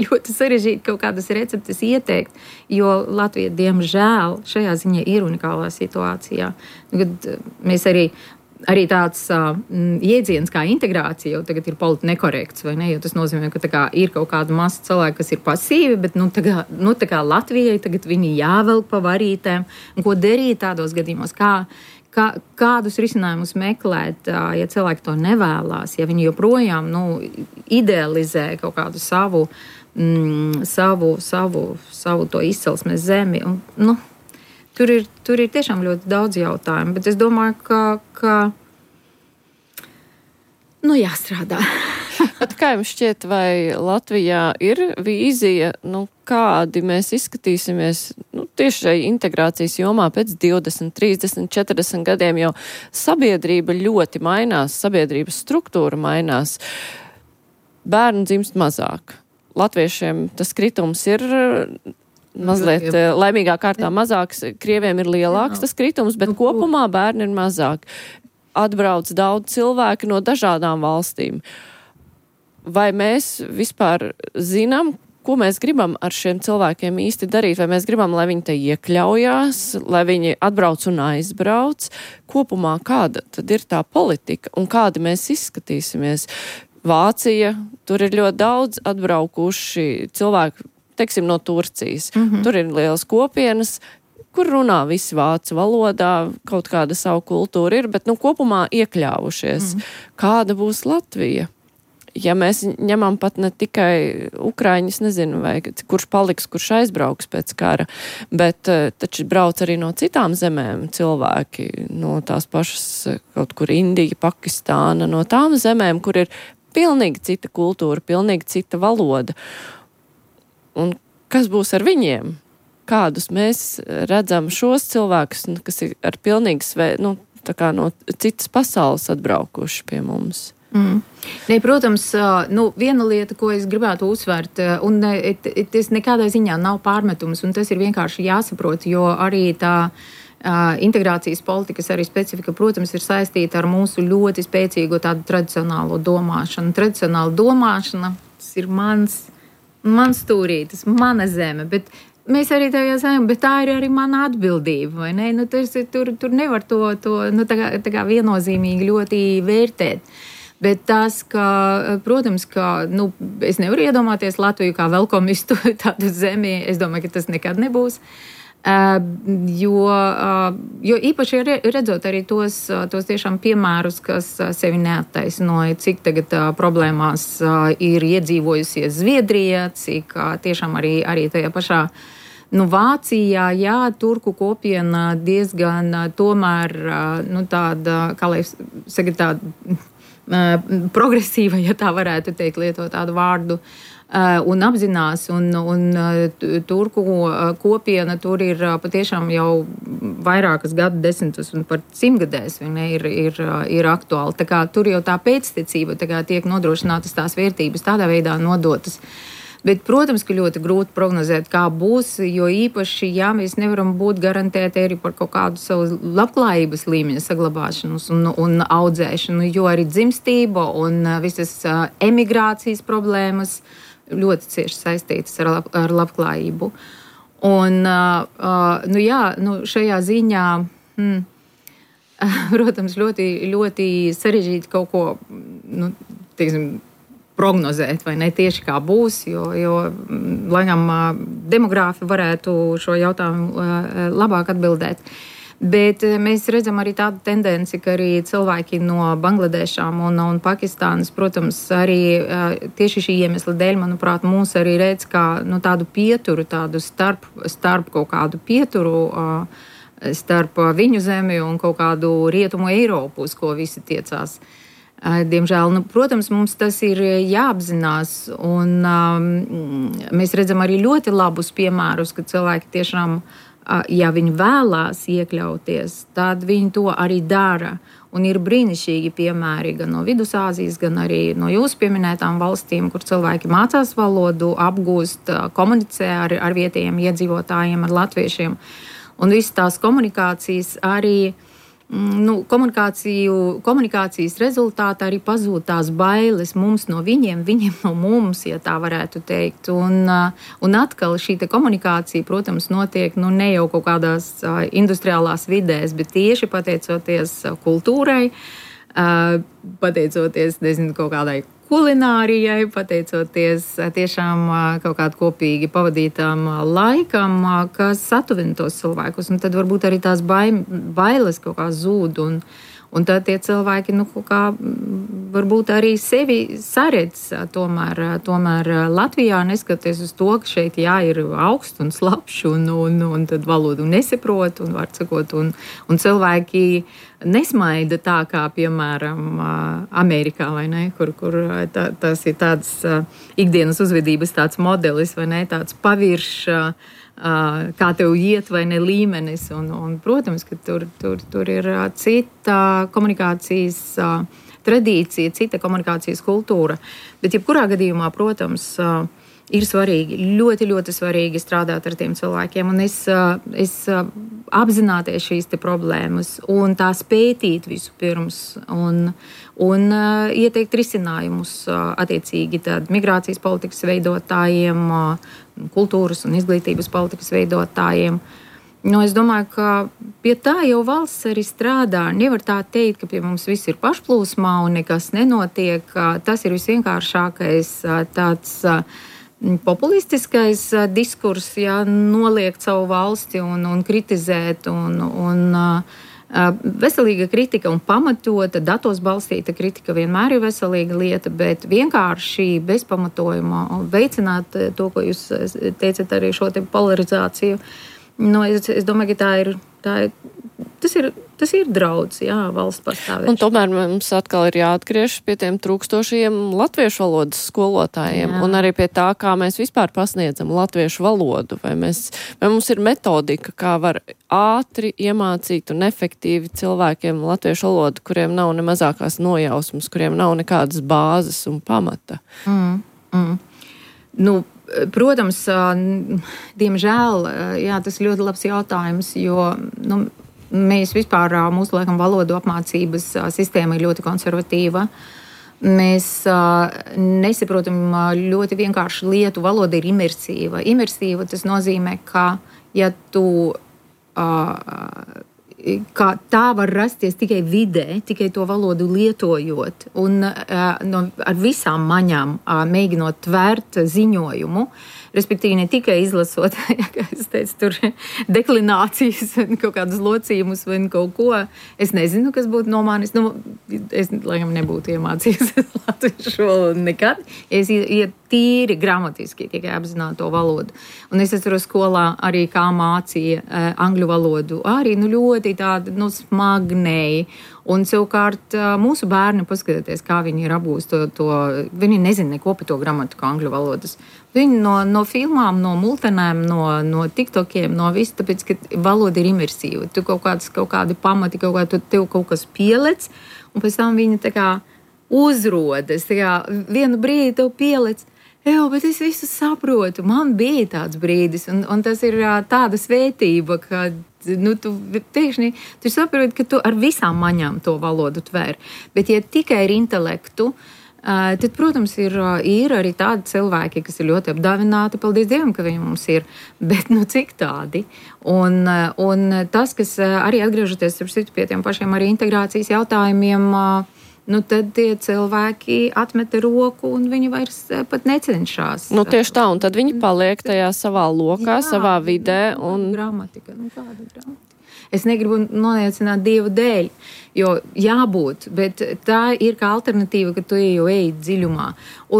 ļoti sarežģīti kaut kādas receptes ieteikt, jo Latvija, diemžēl, šajā ziņā ir unikālā situācijā. Kad mēs arī Arī tāds uh, jēdziens kā integrācija jau tagad ir politi nekorekts, vai ne? Jo tas nozīmē, ka tā kā ir kaut kāda masa cilvēku, kas ir pasīvi, bet nu, tā kā, nu, tā kā Latvijai tagad viņi jāvelk pa varītēm. Un ko darīt tādos gadījumos? Kā, kā, kādus risinājumus meklēt, uh, ja cilvēki to nevēlās, ja viņi joprojām nu, idealizē kaut kādu savu, mm, savu, savu, savu to izcelsmes zemi. Un, nu, Tur ir, tur ir tiešām ļoti daudz jautājumu, bet es domāju, ka, ka nu, jāstrādā. Bet kā jums šķiet, vai Latvijā ir vīzija, nu, kādi mēs izskatīsimies nu, tieši šai integrācijas jomā pēc divdesmit, trīsdesmit, četrdesmit gadiem, jo sabiedrība ļoti mainās, sabiedrības struktūra mainās. Bērnu dzimst mazāk. Latviešiem tas kritums ir mazliet laimīgā kārtā mazāks, krieviem ir lielāks tas kritums, bet kopumā bērni ir mazāk. Atbrauc daudz cilvēku no dažādām valstīm. Vai mēs vispār zinām, ko mēs gribam ar šiem cilvēkiem īsti darīt? Vai mēs gribam, lai viņi te iekļaujās, lai viņi atbrauc un aizbrauc? Kopumā kāda tad ir tā politika un kādi mēs izskatīsimies? Vācija, tur ir ļoti daudz atbraukuši cilvēki, teiksim, no Turcijas. Mm-hmm. Tur ir lielas kopienas, kur runā visi vācu valodā, kaut kāda savu kultūra ir, bet nu, kopumā iekļāvušies. Mm. Kāda būs Latvija? Ja mēs ņemam pat ne tikai Ukraiņus, nezinu, vai kurš paliks, kurš aizbrauks pēc kara, bet taču brauc arī no citām zemēm cilvēki, no tās pašas kaut kur Indija, Pakistāna, no tām zemēm, kur ir pilnīgi cita kultūra, pilnīgi cita valoda. Un kas būs ar viņiem? Kādus mēs redzam šos cilvēkus, kas ir ar pilnīgi svē, nu, tā kā no citas pasaules atbraukuši pie mums? Mm. Ne, protams, nu, viena lieta, ko es gribētu uzsvērt, un tas nekādā ziņā nav pārmetums, un tas ir vienkārši jāsaprot, jo arī tā uh, integrācijas politikas arī specifika, protams, ir saistīta ar mūsu ļoti spēcīgo tādu tradicionālo domāšanu. Tradicionāla domāšana, tas ir mans, mans stūrītis, mana zeme, bet mēs arī tajā zinām, bet tā ir arī mana atbildība, vai ne? Nu, tas, tur, tur nevar to, to nu, tā kā, tā kā viennozīmīgi ļoti vērtēt. Bet tas, ka, protams, ka nu, es nevaru iedomāties Latviju kā velkomistu tādu zemi, es domāju, ka tas nekad nebūs. Uh, jo, uh, jo īpaši redzot arī tos, tos tiešām piemērus, kas sevi neattaisnoja, cik tagad uh, problēmās uh, ir iedzīvojusies Zviedrija, cik uh, tiešām arī, arī tajā pašā nu, Vācijā, jā, turku kopiena diezgan uh, tomēr uh, nu, tāda, kā lai saka, tāda uh, progresīva, ja tā varētu teikt, lietot tādu vārdu. Un apzinās, un, un turku kopiena tur ir patiešām jau vairākas gadu desmitus un par simtgadēs ir, ir, ir aktuāli. Tā kā tur jau tā pēctecība tā kā tiek nodrošinātas tās vērtības tādā veidā nodotas. Bet, protams, ka ļoti grūti prognozēt, kā būs, jo īpaši, jā, mēs nevaram būt garantēti arī par kaut kādu savu labklājības līmeņa saglabāšanu un, un audzēšanu, jo arī dzimstība un visas emigrācijas problēmas ļoti cieši saistītas ar, lab, ar labklājību. Un, uh, nu jā, nu šajā ziņā, hmm, protams, ļoti, ļoti sarežģīti kaut ko, nu, teiksim, prognozēt, vai ne tieši kā būs, jo, jo laikam, demogrāfi varētu šo jautājumu labāk atbildēt. Bet mēs redzam arī tādu tendenci, ka arī cilvēki no Bangladešām un, un Pakistānas, protams, arī tieši šī iemesla dēļ, manuprāt, mūs arī redz kā nu, tādu pieturu, tādu starp, starp kaut kādu pieturu, starp viņu zemi un kaut kādu rietumu Eiropu, uz ko visi tiecās. Diemžēl, nu, protams, mums tas ir jāapzinās, un um, mēs redzam arī ļoti labus piemērus, ka cilvēki tiešām ja viņi vēlās iekļauties, tad viņi to arī dara. Un ir brīnišķīgi piemēri gan no Vidusāzijas, gan arī no jūsu pieminētām valstīm, kur cilvēki mācās valodu, apgūst, komunicē ar, ar vietējiem iedzīvotājiem, ar latviešiem. Un visas tās komunikācijas arī, nu, komunikāciju, komunikācijas rezultātā arī pazūd tās bailes mums no viņiem, viņiem no mums, ja tā varētu teikt. Un, un atkal šī te komunikācija, protams, notiek nu, ne jau kaut kādās uh, industriālās vidēs, bet tieši pateicoties kultūrai, uh, pateicoties, nezinu, kaut kādai kulinārijai, pateicoties tiešām kaut kādu kopīgi pavadītām laikam, kas satuvina tos cilvēkus. Un tad varbūt arī tās bailes kaut kā zūd. Un, un tad tie cilvēki, nu, kaut kā varbūt arī sevi saredz tomēr, tomēr Latvijā, neskatoties uz to, ka šeit jā, ir augsts un slapšs un, un, un tad valodu nesaprot un var sakot. Un, un cilvēki nesmaida tā kā, piemēram, Amerikā, vai ne, kur, kur tā, tas ir tāds ikdienas uzvedības tāds modelis, vai ne, tāds pavirš, kā tev iet, vai ne, līmenis. Un, un protams, ka tur, tur, tur ir cita komunikācijas tradīcija, cita komunikācijas kultūra. Bet jebkurā gadījumā, protams, ir svarīgi, ļoti, ļoti svarīgi strādāt ar tiem cilvēkiem. Un es, es apzināties šīs te problēmas un tās pētīt visu pirms un, un ieteikt risinājumus attiecīgi tad migrācijas politikas veidotājiem, kultūras un izglītības politikas veidotājiem. Nu, es domāju, ka pie tā jau valsts arī strādā. Nevar tā teikt, ka pie mums viss ir pašplūsmā un nekas nenotiek. Tas ir visvienkāršākais tāds populistiskais diskurs, ja noliegt savu valsti un, un kritizēt, un, un uh, veselīga kritika un pamatota, datos balstīta kritika vienmēr ir veselīga lieta, bet vienkārši bez pamatojuma veicināt to, ko jūs teicat, arī šo te polarizāciju. Nu, es, es domāju, ka tā ir, tā ir, tas ir, tas ir draudz, jā, valsts pastāvēšana. Un tomēr mums atkal ir jāatgriežas pie tiem trūkstošiem latviešu valodas skolotājiem, jā. Un arī pie tā, kā mēs vispār pasniedzam latviešu valodu. Vai, mēs, vai mums ir metodika, kā var ātri iemācīt un efektīvi cilvēkiem latviešu valodu, kuriem nav ne mazākās nojausmas, kuriem nav nekādas bāzes un pamata. Mm, mm. Nu, protams, diemžēl, jā, tas ir ļoti labs jautājums, jo nu, mēs vispār, mūsu laikam, valodu apmācības sistēma ir ļoti konservatīva. Mēs uh, nesaprotam ļoti vienkārši lietu. Valoda ir imersīva. Imersīva tas nozīmē, ka ja tu, uh, ka tā var rasties tikai vidē, tikai to valodu lietojot un uh, no, ar visām maņām uh, mēģinot tvērt ziņojumu. Respektīvi, ne tikai izlasot, kā es teicu, tur deklinācijas, kaut kādus locījumus vai kaut ko. Es nezinu, kas būtu no manis. Nu, es, laikam, nebūtu iemācījies latviešu valodu nekad. Es iet tīri gramatiski tikai apzinātu to valodu. Un es atceros skolā arī kā mācīja uh, angļu valodu. Arī nu, ļoti tāda nu, smagnēji. Un savukārt mūsu bērni, paskatieties, kā viņi ir apgūst to, to, viņi nezina neko par to gramatiku angļu valodas. Viņi no, no filmām, no multenēm, no, no tiktokiem, no visu, tāpēc, ka valoda ir imersīva. Tu kaut kāds, kaut kādi pamati, kaut kā, tu, tev kaut kas pielec, un pēc tam viņi tā kā uzrodas, tā kā vienu brīdi tev pielec. Jā, bet es visu saprotu. Man bija tāds brīdis, un, un tas ir tāda svētība, ka nu, tu pēkšņi tu saproti, ka tu ar visām maņām to valodu tver. Bet, ja tikai ir intelektu, tad, protams, ir, ir arī tādi cilvēki, kas ir ļoti apdāvināti. Paldies Dievam, ka viņi mums ir. Bet, nu, cik tādi? Un, un tas, kas arī atgriežoties pie tiem pašiem arī integrācijas jautājumiem, nu, tad tie cilvēki atmeta roku un viņi vairs pat necenšas. Nu, tieši tā, un tad viņi paliek tajā savā lokā, jā, savā vidē. Un... Gramatika, nu kāda gramatika? Es negribu noniecināt Dievu dēļ, jo jābūt, bet tā ir kā alternatīva, ka tu jau eji dziļumā.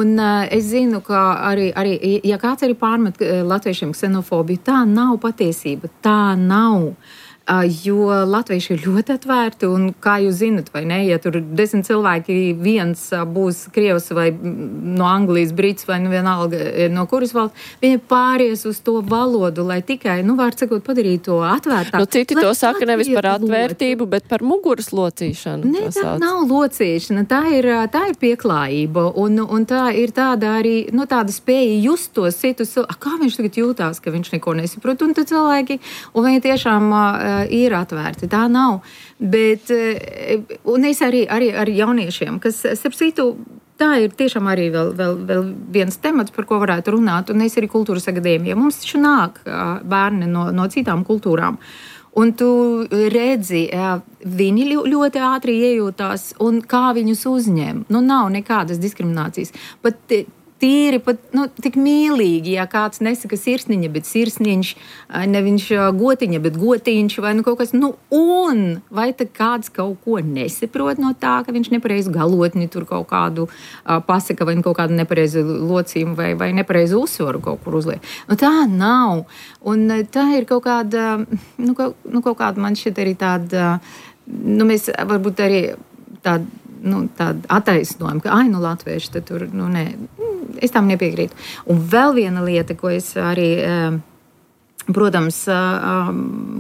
Un uh, es zinu, ka arī, arī, ja kāds arī pārmet latviešiem ksenofobiju, tā nav patiesība, tā nav. Jo latvieši ir ļoti atvērti, un kā jūs zinat, vai ne, ja tur desmit cilvēki viens būs krievs vai no Anglijas, brits vai nu vienalga no kuras valsts, viņi pāries uz to valodu, lai tikai, nu, var sakot, padarīt to atvērtāk. Nu, citi to saka nevis par atvērtību, bet par muguras locīšanu. Ne, tā nav locīšana, tā ir, tā ir pieklājība, un, un tā ir tāda arī, nu, tāda spēja just to citus, kā viņš tagad jūtās, ka viņš neko nesaprot, un tad cilvēki, un viņi tiešām ir atvērti. Tā nav. Bet, un es arī, arī ar jauniešiem, kas, starp citu, tā ir tiešām arī vēl, vēl, vēl viens temats, par ko varētu runāt, un es arī kultūras akadēmijā. Mums taču nāk bērni no, no citām kultūrām. Un tu redzi, viņi ļoti ātri iejūtās, un kā viņus uzņem. Nu, nav nekādas diskriminācijas. Pat tīri pat, nu, tik mīlīgi, ja kāds nesaka sirsniņa, bet sirsniņš, ne viņš gotiņa, bet gotiņš, vai nu kaut kas, nu, un vai tad kāds kaut ko nesaprot no tā, ka viņš nepareizi galotni tur kaut kādu uh, pasaka, vai kaut kādu nepareizi locījumu, vai, vai nepareizi uzsvaru kaut kur uzliek. Nu, tā nav. Un tā ir kaut kāda, nu, kaut, nu, kaut kāda man šķiet arī tāda, nu, mēs varbūt arī tāda, nu, tāda attaisnojuma, ka, ai, nu, latvieši, tad tur, nu, nē, es tam nepiekrītu. Un vēl viena lieta, ko es arī, protams,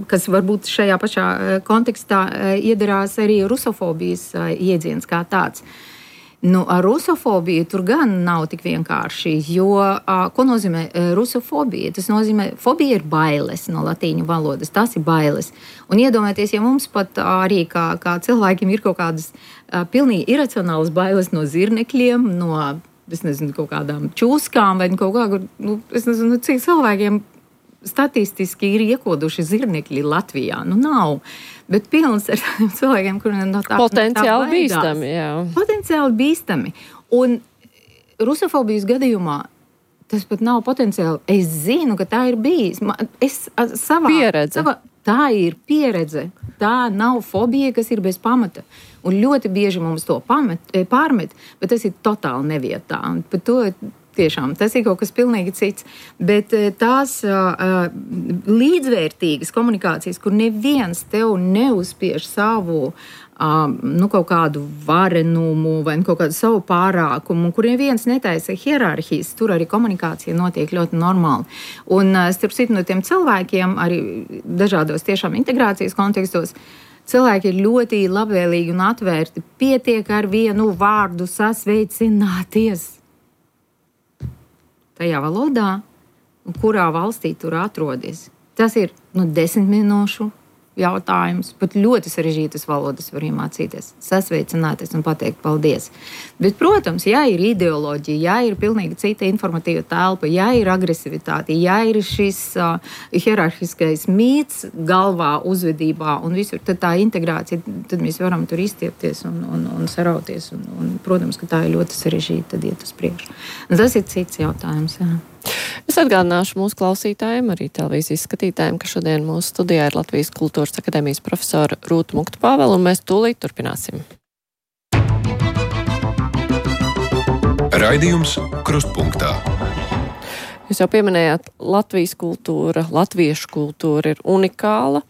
kas varbūt šajā pašā kontekstā iedarās arī rusofobijas iedziens kā tāds. Nu, ar rusofobiju tur gan nav tik vienkārši, jo, ko nozīmē rusofobija? Tas nozīmē, fobija ir bailes no latīņu valodas, tas ir bailes. Un iedomājieties, ja mums pat arī kā, kā cilvēkiem ir kaut kādas pilnīgi iracionālas bailes no zirnekļiem, no, es nezinu, kaut kādām čūskām vai kaut kā, nu, es nezinu, cik cilvēkiem statistiski ir iekoduši zirnekļi Latvijā. Nu, nav. Bet pilns ar cilvēkiem, kuriem no tā potenciāli tā bīstami, jā. Potenciāli bīstami. Un rusofobijas gadījumā tas pat nav potenciāli. Es zinu, ka tā ir bijis. Es savā... Pieredze. Savā, tā ir pieredze. Tā nav fobija, kas ir bez pamata. Un ļoti bieži mums to pamet, pārmet, bet tas ir totāli nevietā. Un par to tiešām tas ir kaut kas pilnīgi cits. Bet tās uh, līdzvērtīgas komunikācijas, kur neviens tev neuzspiež savu uh, nu, kaut kādu varenumu vai kaut kādu savu pārākumu, kur neviens netaisa hierarhijas, tur arī komunikācija notiek ļoti normāli. Un uh, starp citu no tiem cilvēkiem, arī dažādos tiešām integrācijas kontekstos, cilvēki ir ļoti labvēlīgi un atvērti. Pietiek ar vienu vārdu sasveicināties tajā valodā, kurā valstī tur atrodies. Tas ir nu, desmit minūšu jautājums, pat ļoti sarežģītas valodas var iemācīties, sasveicināties un pateikt paldies. Bet, protams, ja ir ideoloģija, ja ir pilnīgi cita informatīva telpa, ja ir agresivitāte, ja ir šis uh, hierarhiskais mīts galvā, uzvedībā un visur, tad tā integrācija, tad mēs varam tur izstiepties un, un, un sarauties. Un, un, protams, ka tā ir ļoti sarežģīta, tad iet uz priekšu. Un tas ir cits jautājums, jā. Es atgādināšu mūsu klausītājiem, arī televīzijas skatītājiem, ka šodien mūsu studijā ir Latvijas Kultūras akadēmijas profesora Rūta Muktu-Pāvela, un mēs tūlīt turpināsim. Raidījums Krustpunktā. Jūs jau pieminējāt, Latvijas kultūra, latviešu kultūra ir unikāla.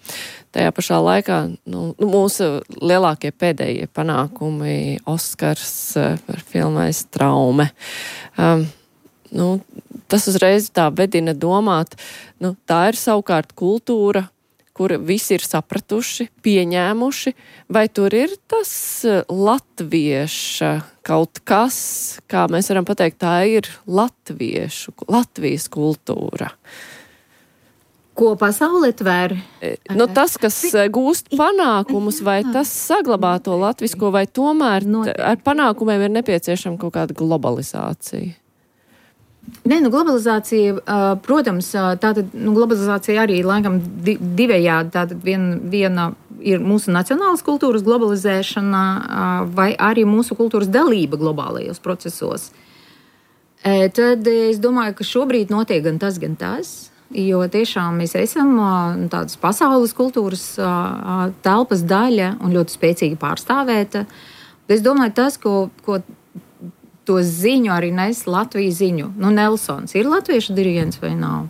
Tajā pašā laikā nu, mūsu lielākie pēdējie panākumi, Oskars par filmais Traume. Um, nu, tas uzreiz tā vedina domāt, nu, tā ir savukārt kultūra, kur visi ir sapratuši, pieņēmuši, vai tur ir tas latvieša kaut kas, kā mēs varam pateikt, tā ir latviešu, Latvijas kultūra. Ko pasaulē tver? Nu, tas, kas gūst panākumus, vai tas saglabā to latvisko, vai tomēr ar panākumiem ir nepieciešama kaut kāda globalizācija? Nē, nu, globalizācija, protams, tātad, nu, globalizācija arī laikam divējādi, tātad viena, viena ir mūsu nacionālas kultūras globalizēšana, vai arī mūsu kultūras dalība globālajos procesos. Tad es domāju, ka šobrīd notiek gan tas, gan tas, jo tiešām mēs esam tādas pasaules kultūras telpas daļa un ļoti spēcīgi pārstāvēta. Es domāju, tas, ko, ko to ziņu arī nes Latvijas ziņu. Nu, Nelsons ir latviešu diriģents vai nav?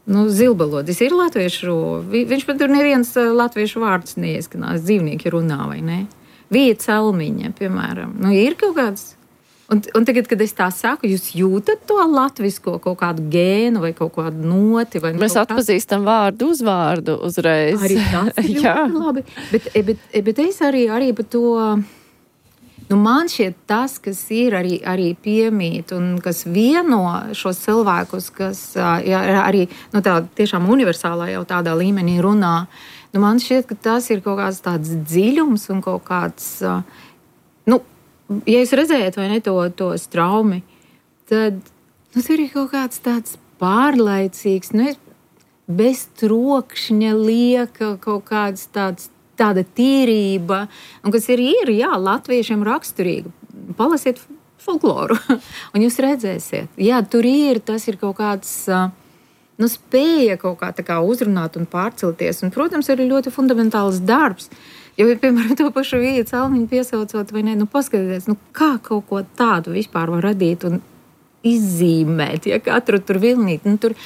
Nu, Zilbalodis ir latviešu, viņš pat tur neviens latviešu vārds neieskanās, dzīvnieki runā vai ne? Vija Celmiņa, piemēram. Nu, ir kaut kāds... Un, un tagad, kad es tā saku, jūs jūtat to latvisko kaut kādu gēnu vai kaut kādu noti? Vai Mēs atpazīstam vārdu uzvārdu uzreiz. Arī tas ir ļoti labi. Bet, bet, bet es arī, arī par to... Nu, man šķiet tas, kas ir arī, arī piemīt un kas vieno šos cilvēkus, kas jā, arī nu, tā, tiešām universālā jau tādā līmenī runā, nu, man šķiet, ka tas ir kaut kāds tāds dziļums un kaut kāds, nu, ja jūs redzējat vai ne to, to straumi, tad nu, tur ir kaut kāds tāds pārlaicīgs, nu, bez trokšņa lieka kaut kāds tāds tāda tīrība, un kas ir, ir jā, latviešiem raksturīga. Palasiet folkloru, un jūs redzēsiet. Jā, tur ir, tas ir kaut kāds, nu, spēja kaut kā tā kā uzrunāt un pārcelties, un, protams, arī ļoti fundamentāls darbs. Jo, piemēram, to pašu Viju Celmiņu piesaucot, vai ne, nu, paskatieties, nu, kā kaut ko tādu vispār var radīt un izzīmēt, ja katru tur vilnīt, nu, tur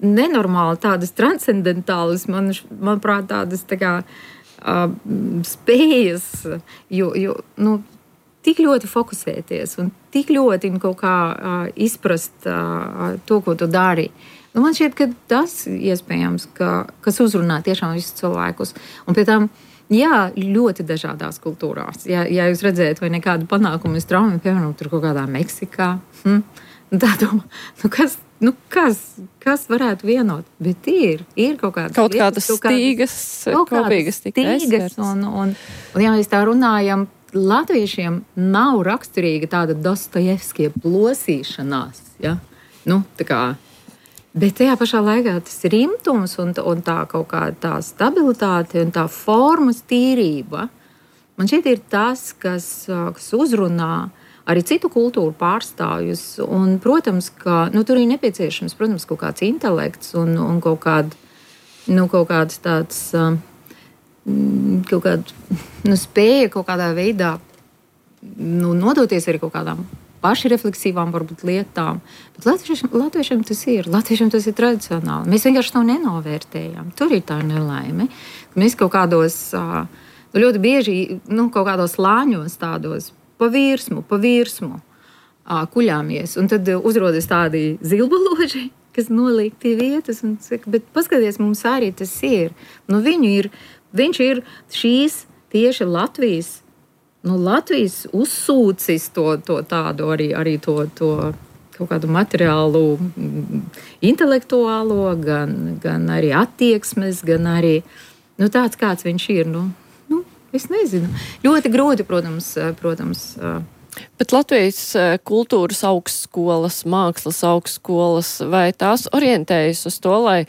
nenormāli tādas transcendentālas, man, manuprāt, tādas tā kā Uh, spējas, jo, jo nu, tik ļoti fokusēties un tik ļoti kaut kā uh, izprast uh, to, ko tu dari. Nu, man šķiet, ka tas iespējams, ka, kas uzrunā tiešām visus cilvēkus. Un pie tam, jā, ļoti dažādās kultūrās. Ja, ja jūs redzējat vai nekādu panākumu uz Traumu, piemēram, tur kaut kādā Meksikā, hm, tā domā, nu kas, nu kas, kas varētu vienot? Bet ir, ir kaut kādas kaut lietas, kādas stīgas, kaut kopīgas stīgas, un, un, un, ja mēs tā runājam, latviešiem nav raksturīga tāda Dostojevskie plosīšanās, ja? Nu, tā kā, bet tajā pašā laikā tas rimtums un, un tā kaut kā tā stabilitāte un tā formas tīrība, man šeit ir tas, kas, kas uzrunā arī citu kultūru pārstāvjus, un, protams, ka, nu, tur ir nepieciešams, protams, kaut kāds intelekts un, un kaut kād, nu, kaut kāds tāds, kaut kāda, nu, spēja kaut kādā veidā, nu, nodoties arī kaut kādām pašrefleksīvām, varbūt, lietām. Bet latviešiem, latviešiem tas ir, latviešiem tas ir tradicionāli. Mēs vienkārši to nenovērtējam. Tur ir tā nelaime. Mēs kaut kādos, nu, ļoti bieži, nu, kaut kādos lāņos tādos, pa virsmu, pa virsmu kuļāmies. Un tad uzrodas tādi zilbaloži, kas noliek tie vietas un saka, bet paskaties, mums arī tas ir. Nu, viņu ir, viņš ir šīs tieši Latvijas, nu, Latvijas uzsūcis to, to tādu arī, arī to, to kaut kādu materiālu, intelektuālo, gan, gan arī attieksmes, gan arī nu, tāds, kāds viņš ir. Nu, nu, es nezinu. Ļoti grūti, protams. protams Bet Latvijas kultūras augstskolas, mākslas augstskolas, vai tās orientējas uz to, lai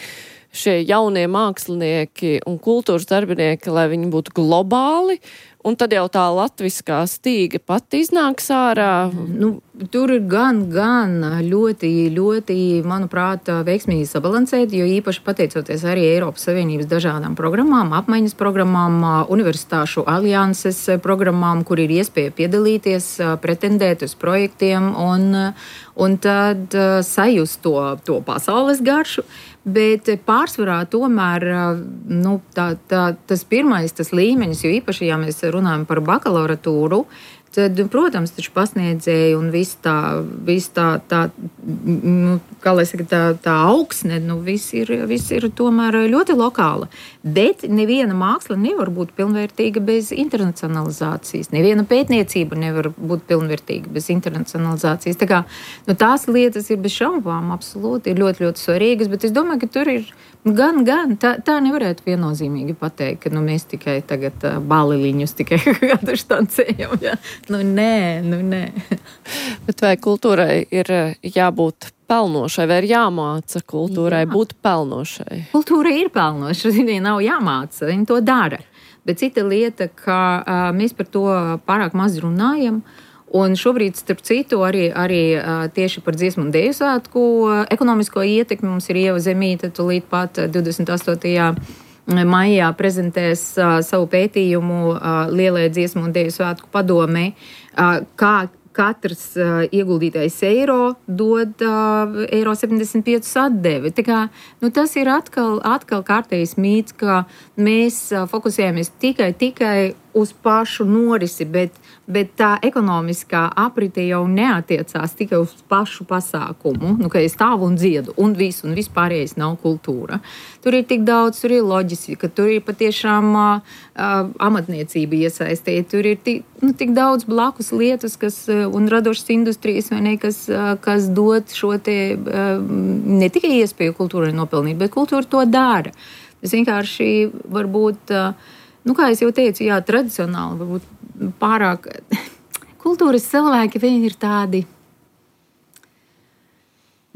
šie jaunie mākslinieki un kultūras darbinieki, lai viņi būtu globāli, un tad jau tā latviskā stīga pat iznāks ārā? Nu, tur ir gan, gan ļoti, ļoti, manuprāt, veiksmīgi sabalansēti, jo īpaši pateicoties arī Eiropas Savienības dažādām programmām, apmaiņas programmām, universitāšu alianses programmām, kur ir iespēja piedalīties, pretendēt uz projektiem un, un tad sajust to, to pasaules garšu. Bet pārsvarā tomēr nu, tā, tā, tas pirmais, tas līmenis, jo īpaši, ja mēs runājam par bakalaurātūru, tad, protams, taču pasniedzēji un viss tā, vis tā, tā, nu, kā lai saka, tā, tā augsne, nu, viss ir, viss ir tomēr ļoti lokāla. Bet neviena māksla nevar būt pilnvērtīga bez internacionalizācijas. Neviena pētniecība nevar būt pilnvērtīga bez internacionalizācijas. Tā kā, nu, tās lietas ir bez šaubām absolūti, ir ļoti, ļoti svarīgas, bet es domāju, ka tur ir gan, gan, tā, tā nevarētu viennozīmīgi pateikt, ka nu, mēs tikai tagad uh, baliliņus tikai kādu štancējam. Ja? Nu, nē, nu, nē. Bet vai kultūrai ir jābūt pelnošai, vai ir jāmāca kultūrai Jā. būt pelnošai? Kultūra ir pelnoša, viņai nav jāmāca, viņa to dara. Bet cita lieta, ka uh, mēs par to pārāk maz runājam, un šobrīd, starp citu, arī, arī uh, tieši par dziesmu un deju svētku uh, ekonomisko ietekmi mums ir Ieva Zemīte, tūlīt pat divdesmit astotajā maijā prezentēs uh, savu pētījumu uh, Lielajai dziesmu un deju svētku padomei, uh, kā katrs uh, ieguldītais eiro dod uh, eiro septiņdesmit piecus atdevi. Tā kā, nu, tas ir atkal, atkal kārtējs mīts, ka mēs uh, fokusējamies tikai, tikai uz pašu norisi, bet, bet tā ekonomiskā aprite jau neatiecās tikai uz pašu pasākumu, nu, ka es stāvu un dziedu, un viss, un vispārējais nav kultūra. Tur ir tik daudz, tur ir loģistika, tur ir patiešām uh, amatniecība iesaistīta, tur ir tik, nu, tik daudz blakus lietas, kas, un radošas industrijas, vai ne, kas, kas dod šo te uh, ne tikai iespēju kultūrai nopelnīt, bet kultūra to dara. Tas vienkārši varbūt uh, Nu, kā es jau teicu, jā, tradicionāli, varbūt pārāk kultūras cilvēki, viņi ir tādi,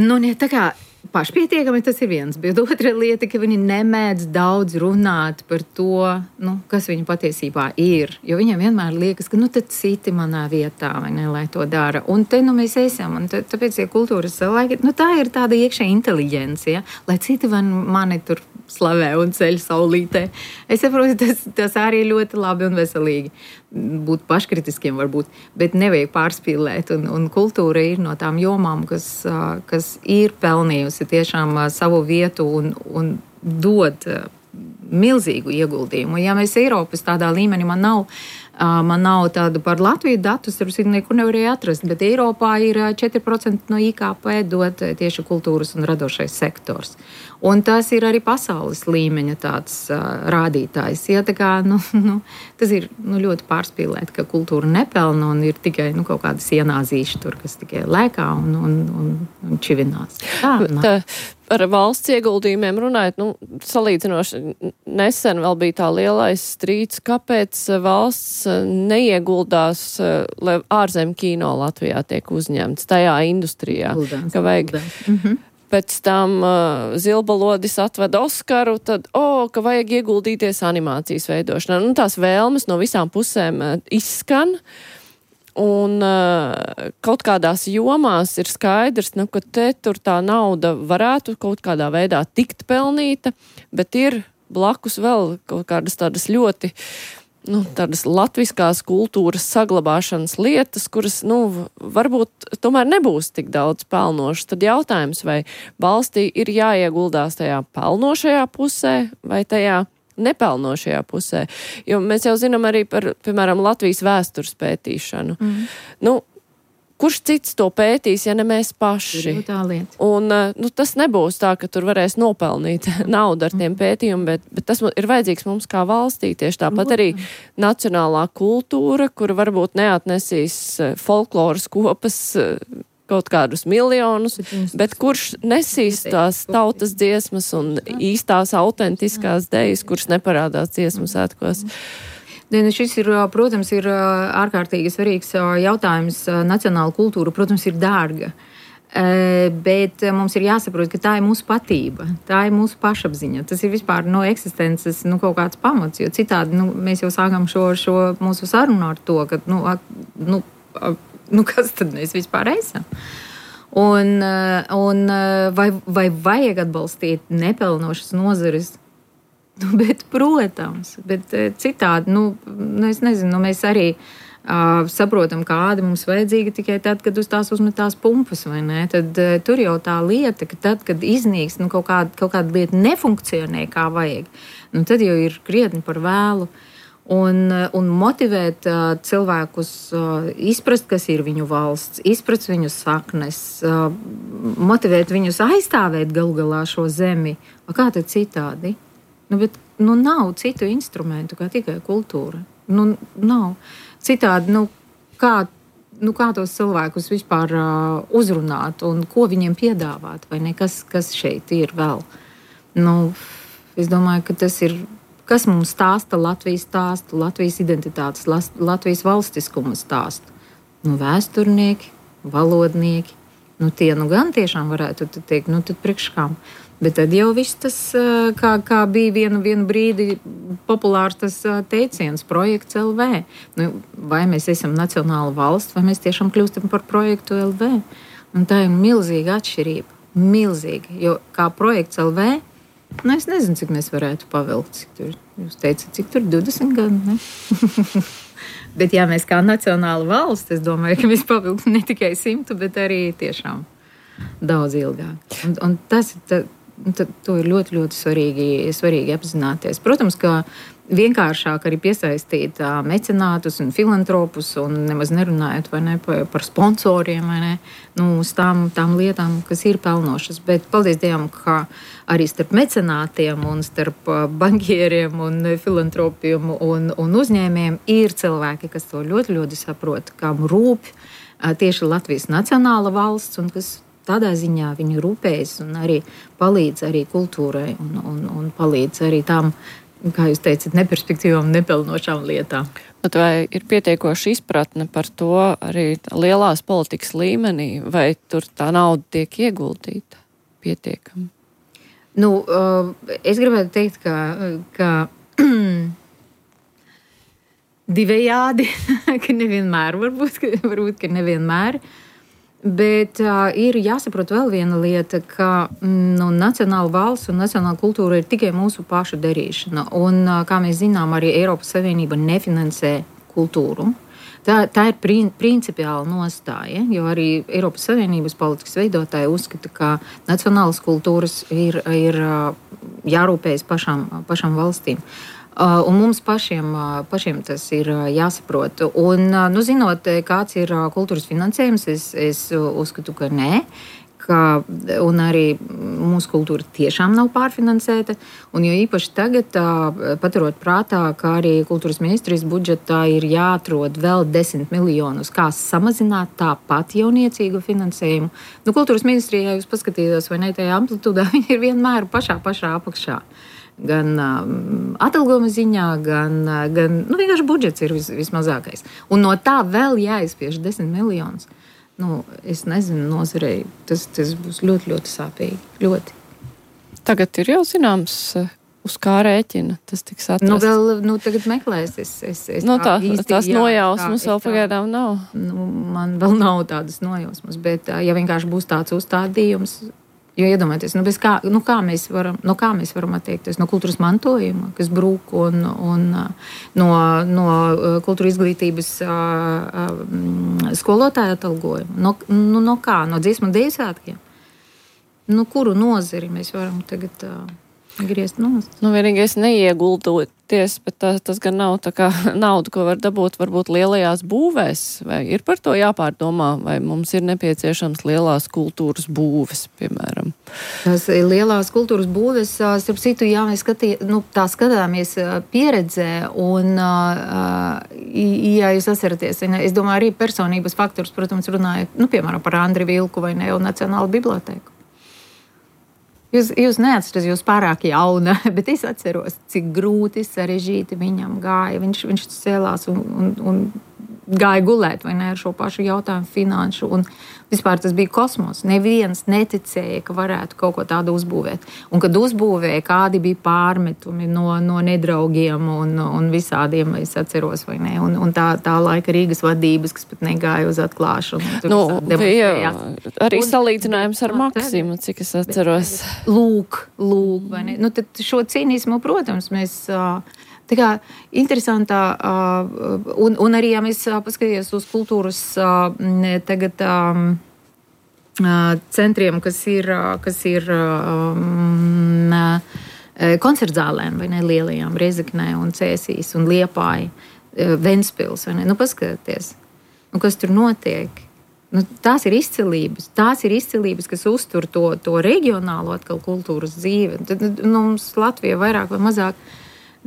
nu, ne tā kā pašpietiekami, tas ir viens, bet otra lieta, ka viņi nemēdz daudz runāt par to, nu, kas viņi patiesībā ir, jo viņiem vienmēr liekas, ka, nu, tad citi manā vietā, vai ne, lai to dara, un te, nu, mēs esam, un tā, tāpēc, ja kultūras cilvēki, nu, tā ir tāda iekšē inteliģencija, lai citi man, mani tur slavē un ceļ saulītē. Es saprotu, tas, tas arī ļoti labi un veselīgi. Būt paškritiskiem varbūt, bet nevajag pārspīlēt. Un, un kultūra ir no tām jomām, kas, kas ir pelnījusi tiešām savu vietu un, un dod milzīgu ieguldījumu. Ja mēs Eiropas tādā līmenī, man nav, man nav tādu par Latviju datus, tur nekur nevarēja atrast, bet Eiropā ir četri procenti no I K P dod tieši kultūras un radošais sektors. Un tas ir arī pasaules līmeņa tāds uh, rādītājs. Ja, tā kā, nu, nu, tas ir nu, ļoti pārspīlēt, ka kultūra nepelna un ir tikai nu, kaut kādas ienāzīši tur, kas tikai lēkā un, un, un, un čivinās. Tā, tā, ar valsts ieguldījumiem runājot, nu, salīdzinoši nesen vēl bija tā lielais strīds, kāpēc valsts neieguldās, lai ārzem kino Latvijā tiek uzņemts tajā industrijā. Guldās, ka vajag... Mhm. Pēc tam uh, Zilbalodis atveda Oskaru, tad, o, oh, ka vajag ieguldīties animācijas veidošanā. Nu, tās vēlmes no visām pusēm uh, izskan, un uh, kaut kādās jomās ir skaidrs, nu, ka te tur tā nauda varētu kaut kādā veidā tikt pelnīta, bet ir blakus vēl kaut kādas tādas ļoti nu, tādas latviskās kultūras saglabāšanas lietas, kuras, nu, varbūt tomēr nebūs tik daudz pelnošas. Tad jautājums, vai valstī ir jāieguldās tajā pelnošajā pusē vai tajā nepelnošajā pusē. Jo mēs jau zinām arī par, piemēram, Latvijas vēstures pētīšanu. Mm. Nu, kurš cits to pētīs, ja ne mēs paši? Un nu, tas nebūs tā, ka tur varēs nopelnīt naudu ar tiem pētījumiem, bet, bet tas ir vajadzīgs mums kā valstī. Tieši tāpat arī nacionālā kultūra, kura varbūt neatnesīs folkloras kopas kaut kādus miljonus, bet kurš nesīs tās tautas dziesmas un īstās autentiskās dejas, kurš neparādās dziesmu svētkos? Šis ir, protams, ir ārkārtīgi svarīgs jautājums. Nacionāla kultūra, protams, ir dārga. Bet mums ir jāsaprot, ka tā ir mūsu patība, tā ir mūsu pašapziņa. Tas ir vispār no eksistences nu, kaut kāds pamats, jo citādi nu, mēs jau sākam šo, šo mūsu sarunu ar to, ka nu, nu, nu, kas tad mēs vispār esam. Un, un vai, vai vajag atbalstīt nepelnošas nozares? Nu, bet, protams, bet citādi, nu, es nezinu, nu, mēs arī uh, saprotam, kāda mums vajadzīga tikai tad, kad uz tās uzmetās pumpas, vai ne? Tad uh, tur jau tā lieta, ka tad, kad iznīks, nu, kaut kāda, kaut kāda lieta nefunkcionē kā vajag, nu, tad jau ir krietni par vēlu. Un, un motivēt uh, cilvēkus uh, izprast, kas ir viņu valsts, izprast viņu saknes, uh, motivēt viņus aizstāvēt galu galā šo zemi. A kā tad citādi? Nu, bet nu, nav citu instrumentu kā tikai kultūra. Nu, nav. Citādi, nu, kā, nu, kā tos cilvēkus vispār uh, uzrunāt un ko viņiem piedāvāt, vai ne? Kas, kas šeit ir vēl? Nu, es domāju, ka tas ir. Kas mums stāsta Latvijas stāstu, Latvijas identitātes, Latvijas valstiskuma stāstu? Nu, vēsturnieki, valodnieki. Nu, tie nu gan tiešām varētu teikt, nu tad priekškām. Bet tad jau viss tas, kā, kā bija vienu, vienu brīdi populārs tas teiciens, projekts L V. Nu, vai mēs esam nacionāla valsts, vai mēs tiešām kļūstam par projektu L V. Un tā ir milzīga atšķirība. Milzīga, jo kā projekts L V, nu, es nezinu, cik mēs varētu pavilkt. Cik tur, jūs teicat, cik tur divdesmit gadi, ne? Bet ja mēs kā nacionāla valsts, es domāju, ka mēs pavilktu ne tikai simtu, bet arī tiešām daudz ilgāk. Un, un tas ta, ta, to ir ļoti, ļoti svarīgi, svarīgi apzināties. Protams, ka vienkāršāk arī piesaistīt uh, mecenātus un filantropus un nemaz nerunājot vai ne, par, par sponsoriem vai ne, nu, uz tām, tām lietām, kas ir pelnošas. Bet paldies Dievam, ka arī starp mecenātiem un starp uh, bankieriem un filantropiem un, un uzņēmējiem ir cilvēki, kas to ļoti, ļoti saprot, kam rūp uh, tieši Latvijas nacionāla valsts un kas tādā ziņā viņi rūpējas un arī palīdz arī kultūrai un, un, un palīdz arī tām, kā jūs teicat, neperspektīvām, nepelnošām lietām. Bet vai ir pietiekoši izpratne par to arī lielās politikas līmenī, vai tur tā nauda tiek ieguldīta pietiekami? Nu, es gribētu teikt, ka, ka divējādi, ka nevienmēr, varbūt, varbūt ka nevienmēr. Bet uh, ir jāsaprot vēl viena lieta, ka nu, nacionāla valsts un nacionāla kultūra ir tikai mūsu pašu darīšana. Un, uh, kā mēs zinām, arī Eiropas Savienība nefinansē kultūru. Tā, tā ir prin, principiāla nostāja, jo arī Eiropas Savienības politikas veidotāji uzskata, ka nacionālas kultūras ir, ir uh, jārūpējas pašām, pašām valstīm. Uh, un mums pašiem, uh, pašiem tas ir uh, jāsaprot. Un, uh, nu, zinot, kāds ir uh, kultūras finansējums, es, es uzskatu, ka nē. Ka, un arī mūsu kultūra tiešām nav pārfinansēta. Un jo īpaši tagad, uh, paturot prātā, ka arī kultūras ministrijas budžetā ir jāatrod vēl desmit miljonus, kā samazināt tāpat jauniecīgu finansējumu. Nu, kultūras ministrijā jūs paskatījāties, vai ne, tajā amplitūdā viņi ir vienmēr pašā, pašā apakšā. Gan um, atalgojuma ziņā, gan, uh, gan nu, vienkārši budžets ir vis, vismazākais. Un no tā vēl jāizspiež desmit miljonus. Nu, es nezinu, nozarei tas, tas būs ļoti, ļoti sāpīgi. Ļoti. Tagad ir jau zināms, uz kā rēķina tas tiks atrasts. Nu, vēl, nu, tagad meklēs. Es, es, es nu, tā, īsti, tās jā, nojausmas tā, vēl pagaidām nav. Nu, man vēl nav tādas nojausmas, bet ja vienkārši būs tāds uzstādījums, jo iedomājieties, nu, kā, nu, kā, mēs varam, nu, kā mēs varam attiekties no kultūras mantojuma, kas brūk, un, un no, no kultūra izglītības skolotāja atalgojuma. No, nu, no kā? No dziesmu un deju svētkiem? Nu, kuru nozari mēs varam tagad... griezt nost. Nu, vienīgais neieguldoties, bet tā, tas gan nav tā kā nauda, ko var dabūt varbūt lielajās būvēs, vai ir par to jāpārdomā, vai mums ir nepieciešams lielās kultūras būves, piemēram. Tas lielās kultūras būves, starp citu, jā, mēs skatī, nu, tā skatāmies pieredzē, un, ja jūs atceraties, es domāju, arī personības faktors, protams, runājot, nu, piemēram, par Andri Vilku vai ne, un Nacionālu bibliotēku. Jūs, jūs neatcerat, jūs pārāk jauna, bet es atceros, cik grūti, sarežģīti viņam gāja. Viņš, viņš cēlās un, un, un gāja gulēt, vai ne, ar šo pašu jautājumu finanšu. Un vispār tas bija kosmos. Neviens neticēja, ka varētu kaut ko tādu uzbūvēt. Un kad uzbūvēja, kādi bija pārmetumi no, no nedraugiem un, un visādiem, es atceros, vai ne. Un, un tā, tā laika Rīgas vadības, kas pat negāja uz atklāšanu. Nu, bija arī un, salīdzinājums ar Maksimu, cik es atceros. Lūk, lūk, vai ne. Nu, tad šo cīnismu, protams, mēs... Tā kā interesantā, un, un arī, ja mēs paskatīties uz kultūras tagad centriem, kas ir, kas ir koncertzālēm, vai ne, lielajām, Rezeknē un Cēsīs un Liepāja, Ventspils, vai ne, nu paskatieties, nu kas tur notiek. Nu, tās ir izcilības, tās ir izcilības, kas uztur to, to reģionālo atkal kultūras dzīvi. Tad, nu, mums Latvija vairāk vai mazāk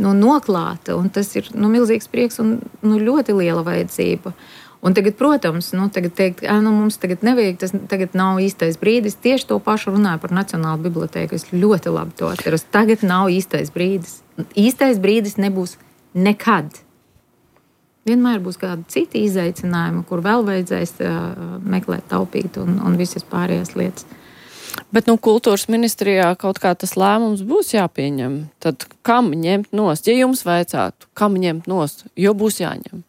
nu, noklāta, un tas ir nu, milzīgs prieks un nu, ļoti liela vajadzība. Un tagad, protams, nu, tagad teikt, nu, mums tagad nevajag, tas tagad nav īstais brīdis. Tieši to pašu runāju par Nacionālu bibliotēku. Es ļoti labi to atceros. Tagad nav īstais brīdis. Īstais brīdis nebūs nekad. Vienmēr būs kādi citi izaicinājumi, kur vēl vajadzēs uh, meklēt, taupīt un, un visas pārējās lietas. Bet, nu, kultūras ministrijā kaut kā tas lēmums būs jāpieņem. Tad kam ņemt nost? Ja jums vajadzētu, kam ņemt nost? Jo būs jāņem.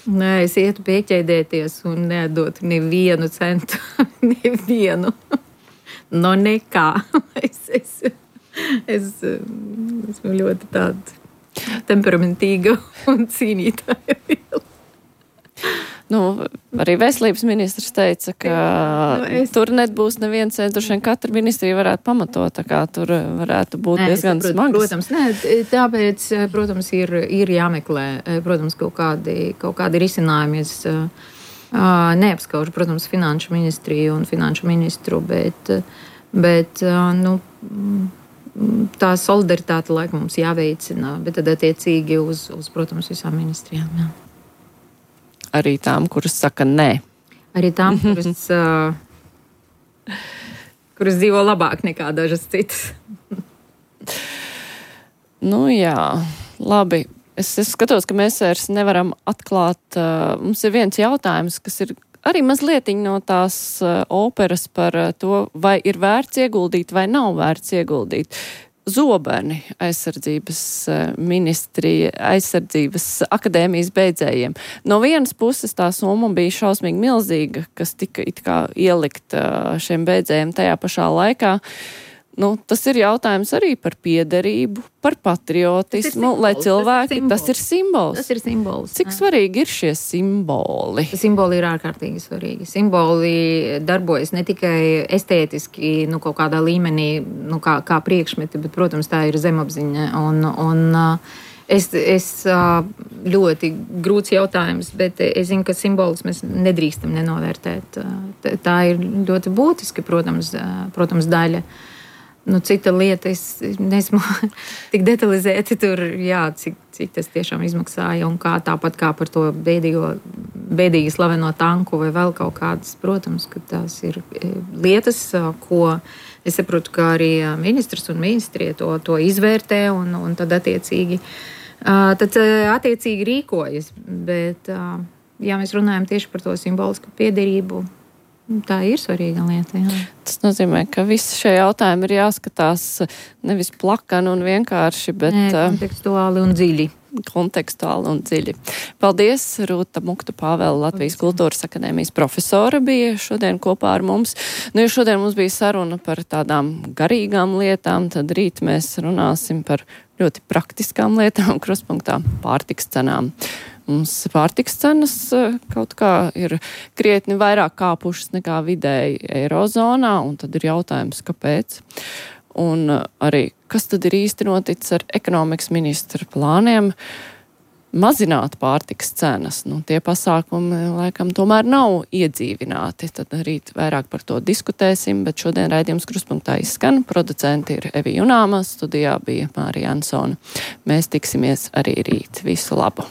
Nē, es ietu pieķēdēties un nedotu nevienu centu. nevienu. No nekā. es, es, es, esmu ļoti tāda temperamentīga un cīnītāja viela. Nu, arī veselības ministrs teica, ka nu, es... tur nebūs neviens centrs, un katra ministrija varētu pamatot, tā kā tur varētu būt nē, diezgan saprot, smagas. Protams, nē, tāpēc, protams, ir, ir jāmeklē, protams, kaut kādi, kaut kādi risinājumi. Es uh, neapskaužu, protams, finanšu ministriju un finanšu ministru, bet, bet uh, nu, tā solidaritāte laikam mums jāveicina, bet tad attiecīgi uz, uz protams, visām ministrijām, jā. Arī tām, kuras saka nē. Arī tām, kuras, uh, kuras dzīvo labāk nekā dažas citas. Nu jā, labi. Es, es skatos, ka mēs vairs nevaram atklāt. Uh, mums ir viens jautājums, kas ir arī mazlietiņ no tās uh, operas par uh, to, vai ir vērts ieguldīt vai nav vērts ieguldīt. Zobeni aizsardzības ministrija, aizsardzības akadēmijas beidzējiem. No vienas puses tā summa bija šausmīgi milzīga, kas tika it kā ielikt šiem beidzējiem tajā pašā laikā. Nu, tas ir jautājums arī par piederību, par patriotismu, lai cilvēki, tas ir simbols. Tas ir simbols. Cik svarīgi ir šie simboli? Simboli ir ārkārtīgi svarīgi. Simboli darbojas ne tikai estētiski, nu, kaut kādā līmenī, nu, kā, kā priekšmeti, bet, protams, tā ir zemapziņa. Un, un es, es ļoti grūts jautājums, bet es zinu, ka simbolus mēs nedrīkstam nenovērtēt. Tā ir ļoti būtiska, protams, protams daļa. Nu, cita lieta, es nesmu tik detalizēti tur, jā, cik, cik tas tiešām izmaksāja un kā tāpat kā par to bēdīgo, bēdīgi slaveno tanku vai vēl kaut kādas, protams, ka tās ir lietas, ko es saprotu, ka arī ministrs un ministrie to, to izvērtē un, un tad attiecīgi, tad attiecīgi rīkojas, bet, ja mēs runājam tieši par to simbolisku piederību, tā ir svarīga lieta, jā. Tas nozīmē, ka visi šie jautājumi ir jāskatās nevis plakani un vienkārši, bet... Nē, kontekstuāli un dziļi. Kontekstuāli un dziļi. Paldies, Rūta Muktu Pāvela, Latvijas Kultūras akadēmijas profesora bija šodien kopā ar mums. Nu, ja šodien mums bija saruna par tādām garīgām lietām, tad rīt mēs runāsim par ļoti praktiskām lietām, krustpunktā pārtiks cenām. Mums pārtiks cenas kaut kā ir krietni vairāk kāpušas nekā vidēji eirozonā, un tad ir jautājums, kāpēc. un arī kas tad ir īsti noticis ar ekonomikas ministra plāniem mazināt pārtikas cenas. Nu, tie pasākumi, laikam, tomēr nav iedzīvināti. Tad rīt vairāk par to diskutēsim, bet šodien raidījums Krustpunktā izskan. Producenti ir Evi Junāma, studijā bija Mārija Ansone. Mēs tiksimies arī rīt. Visu labu!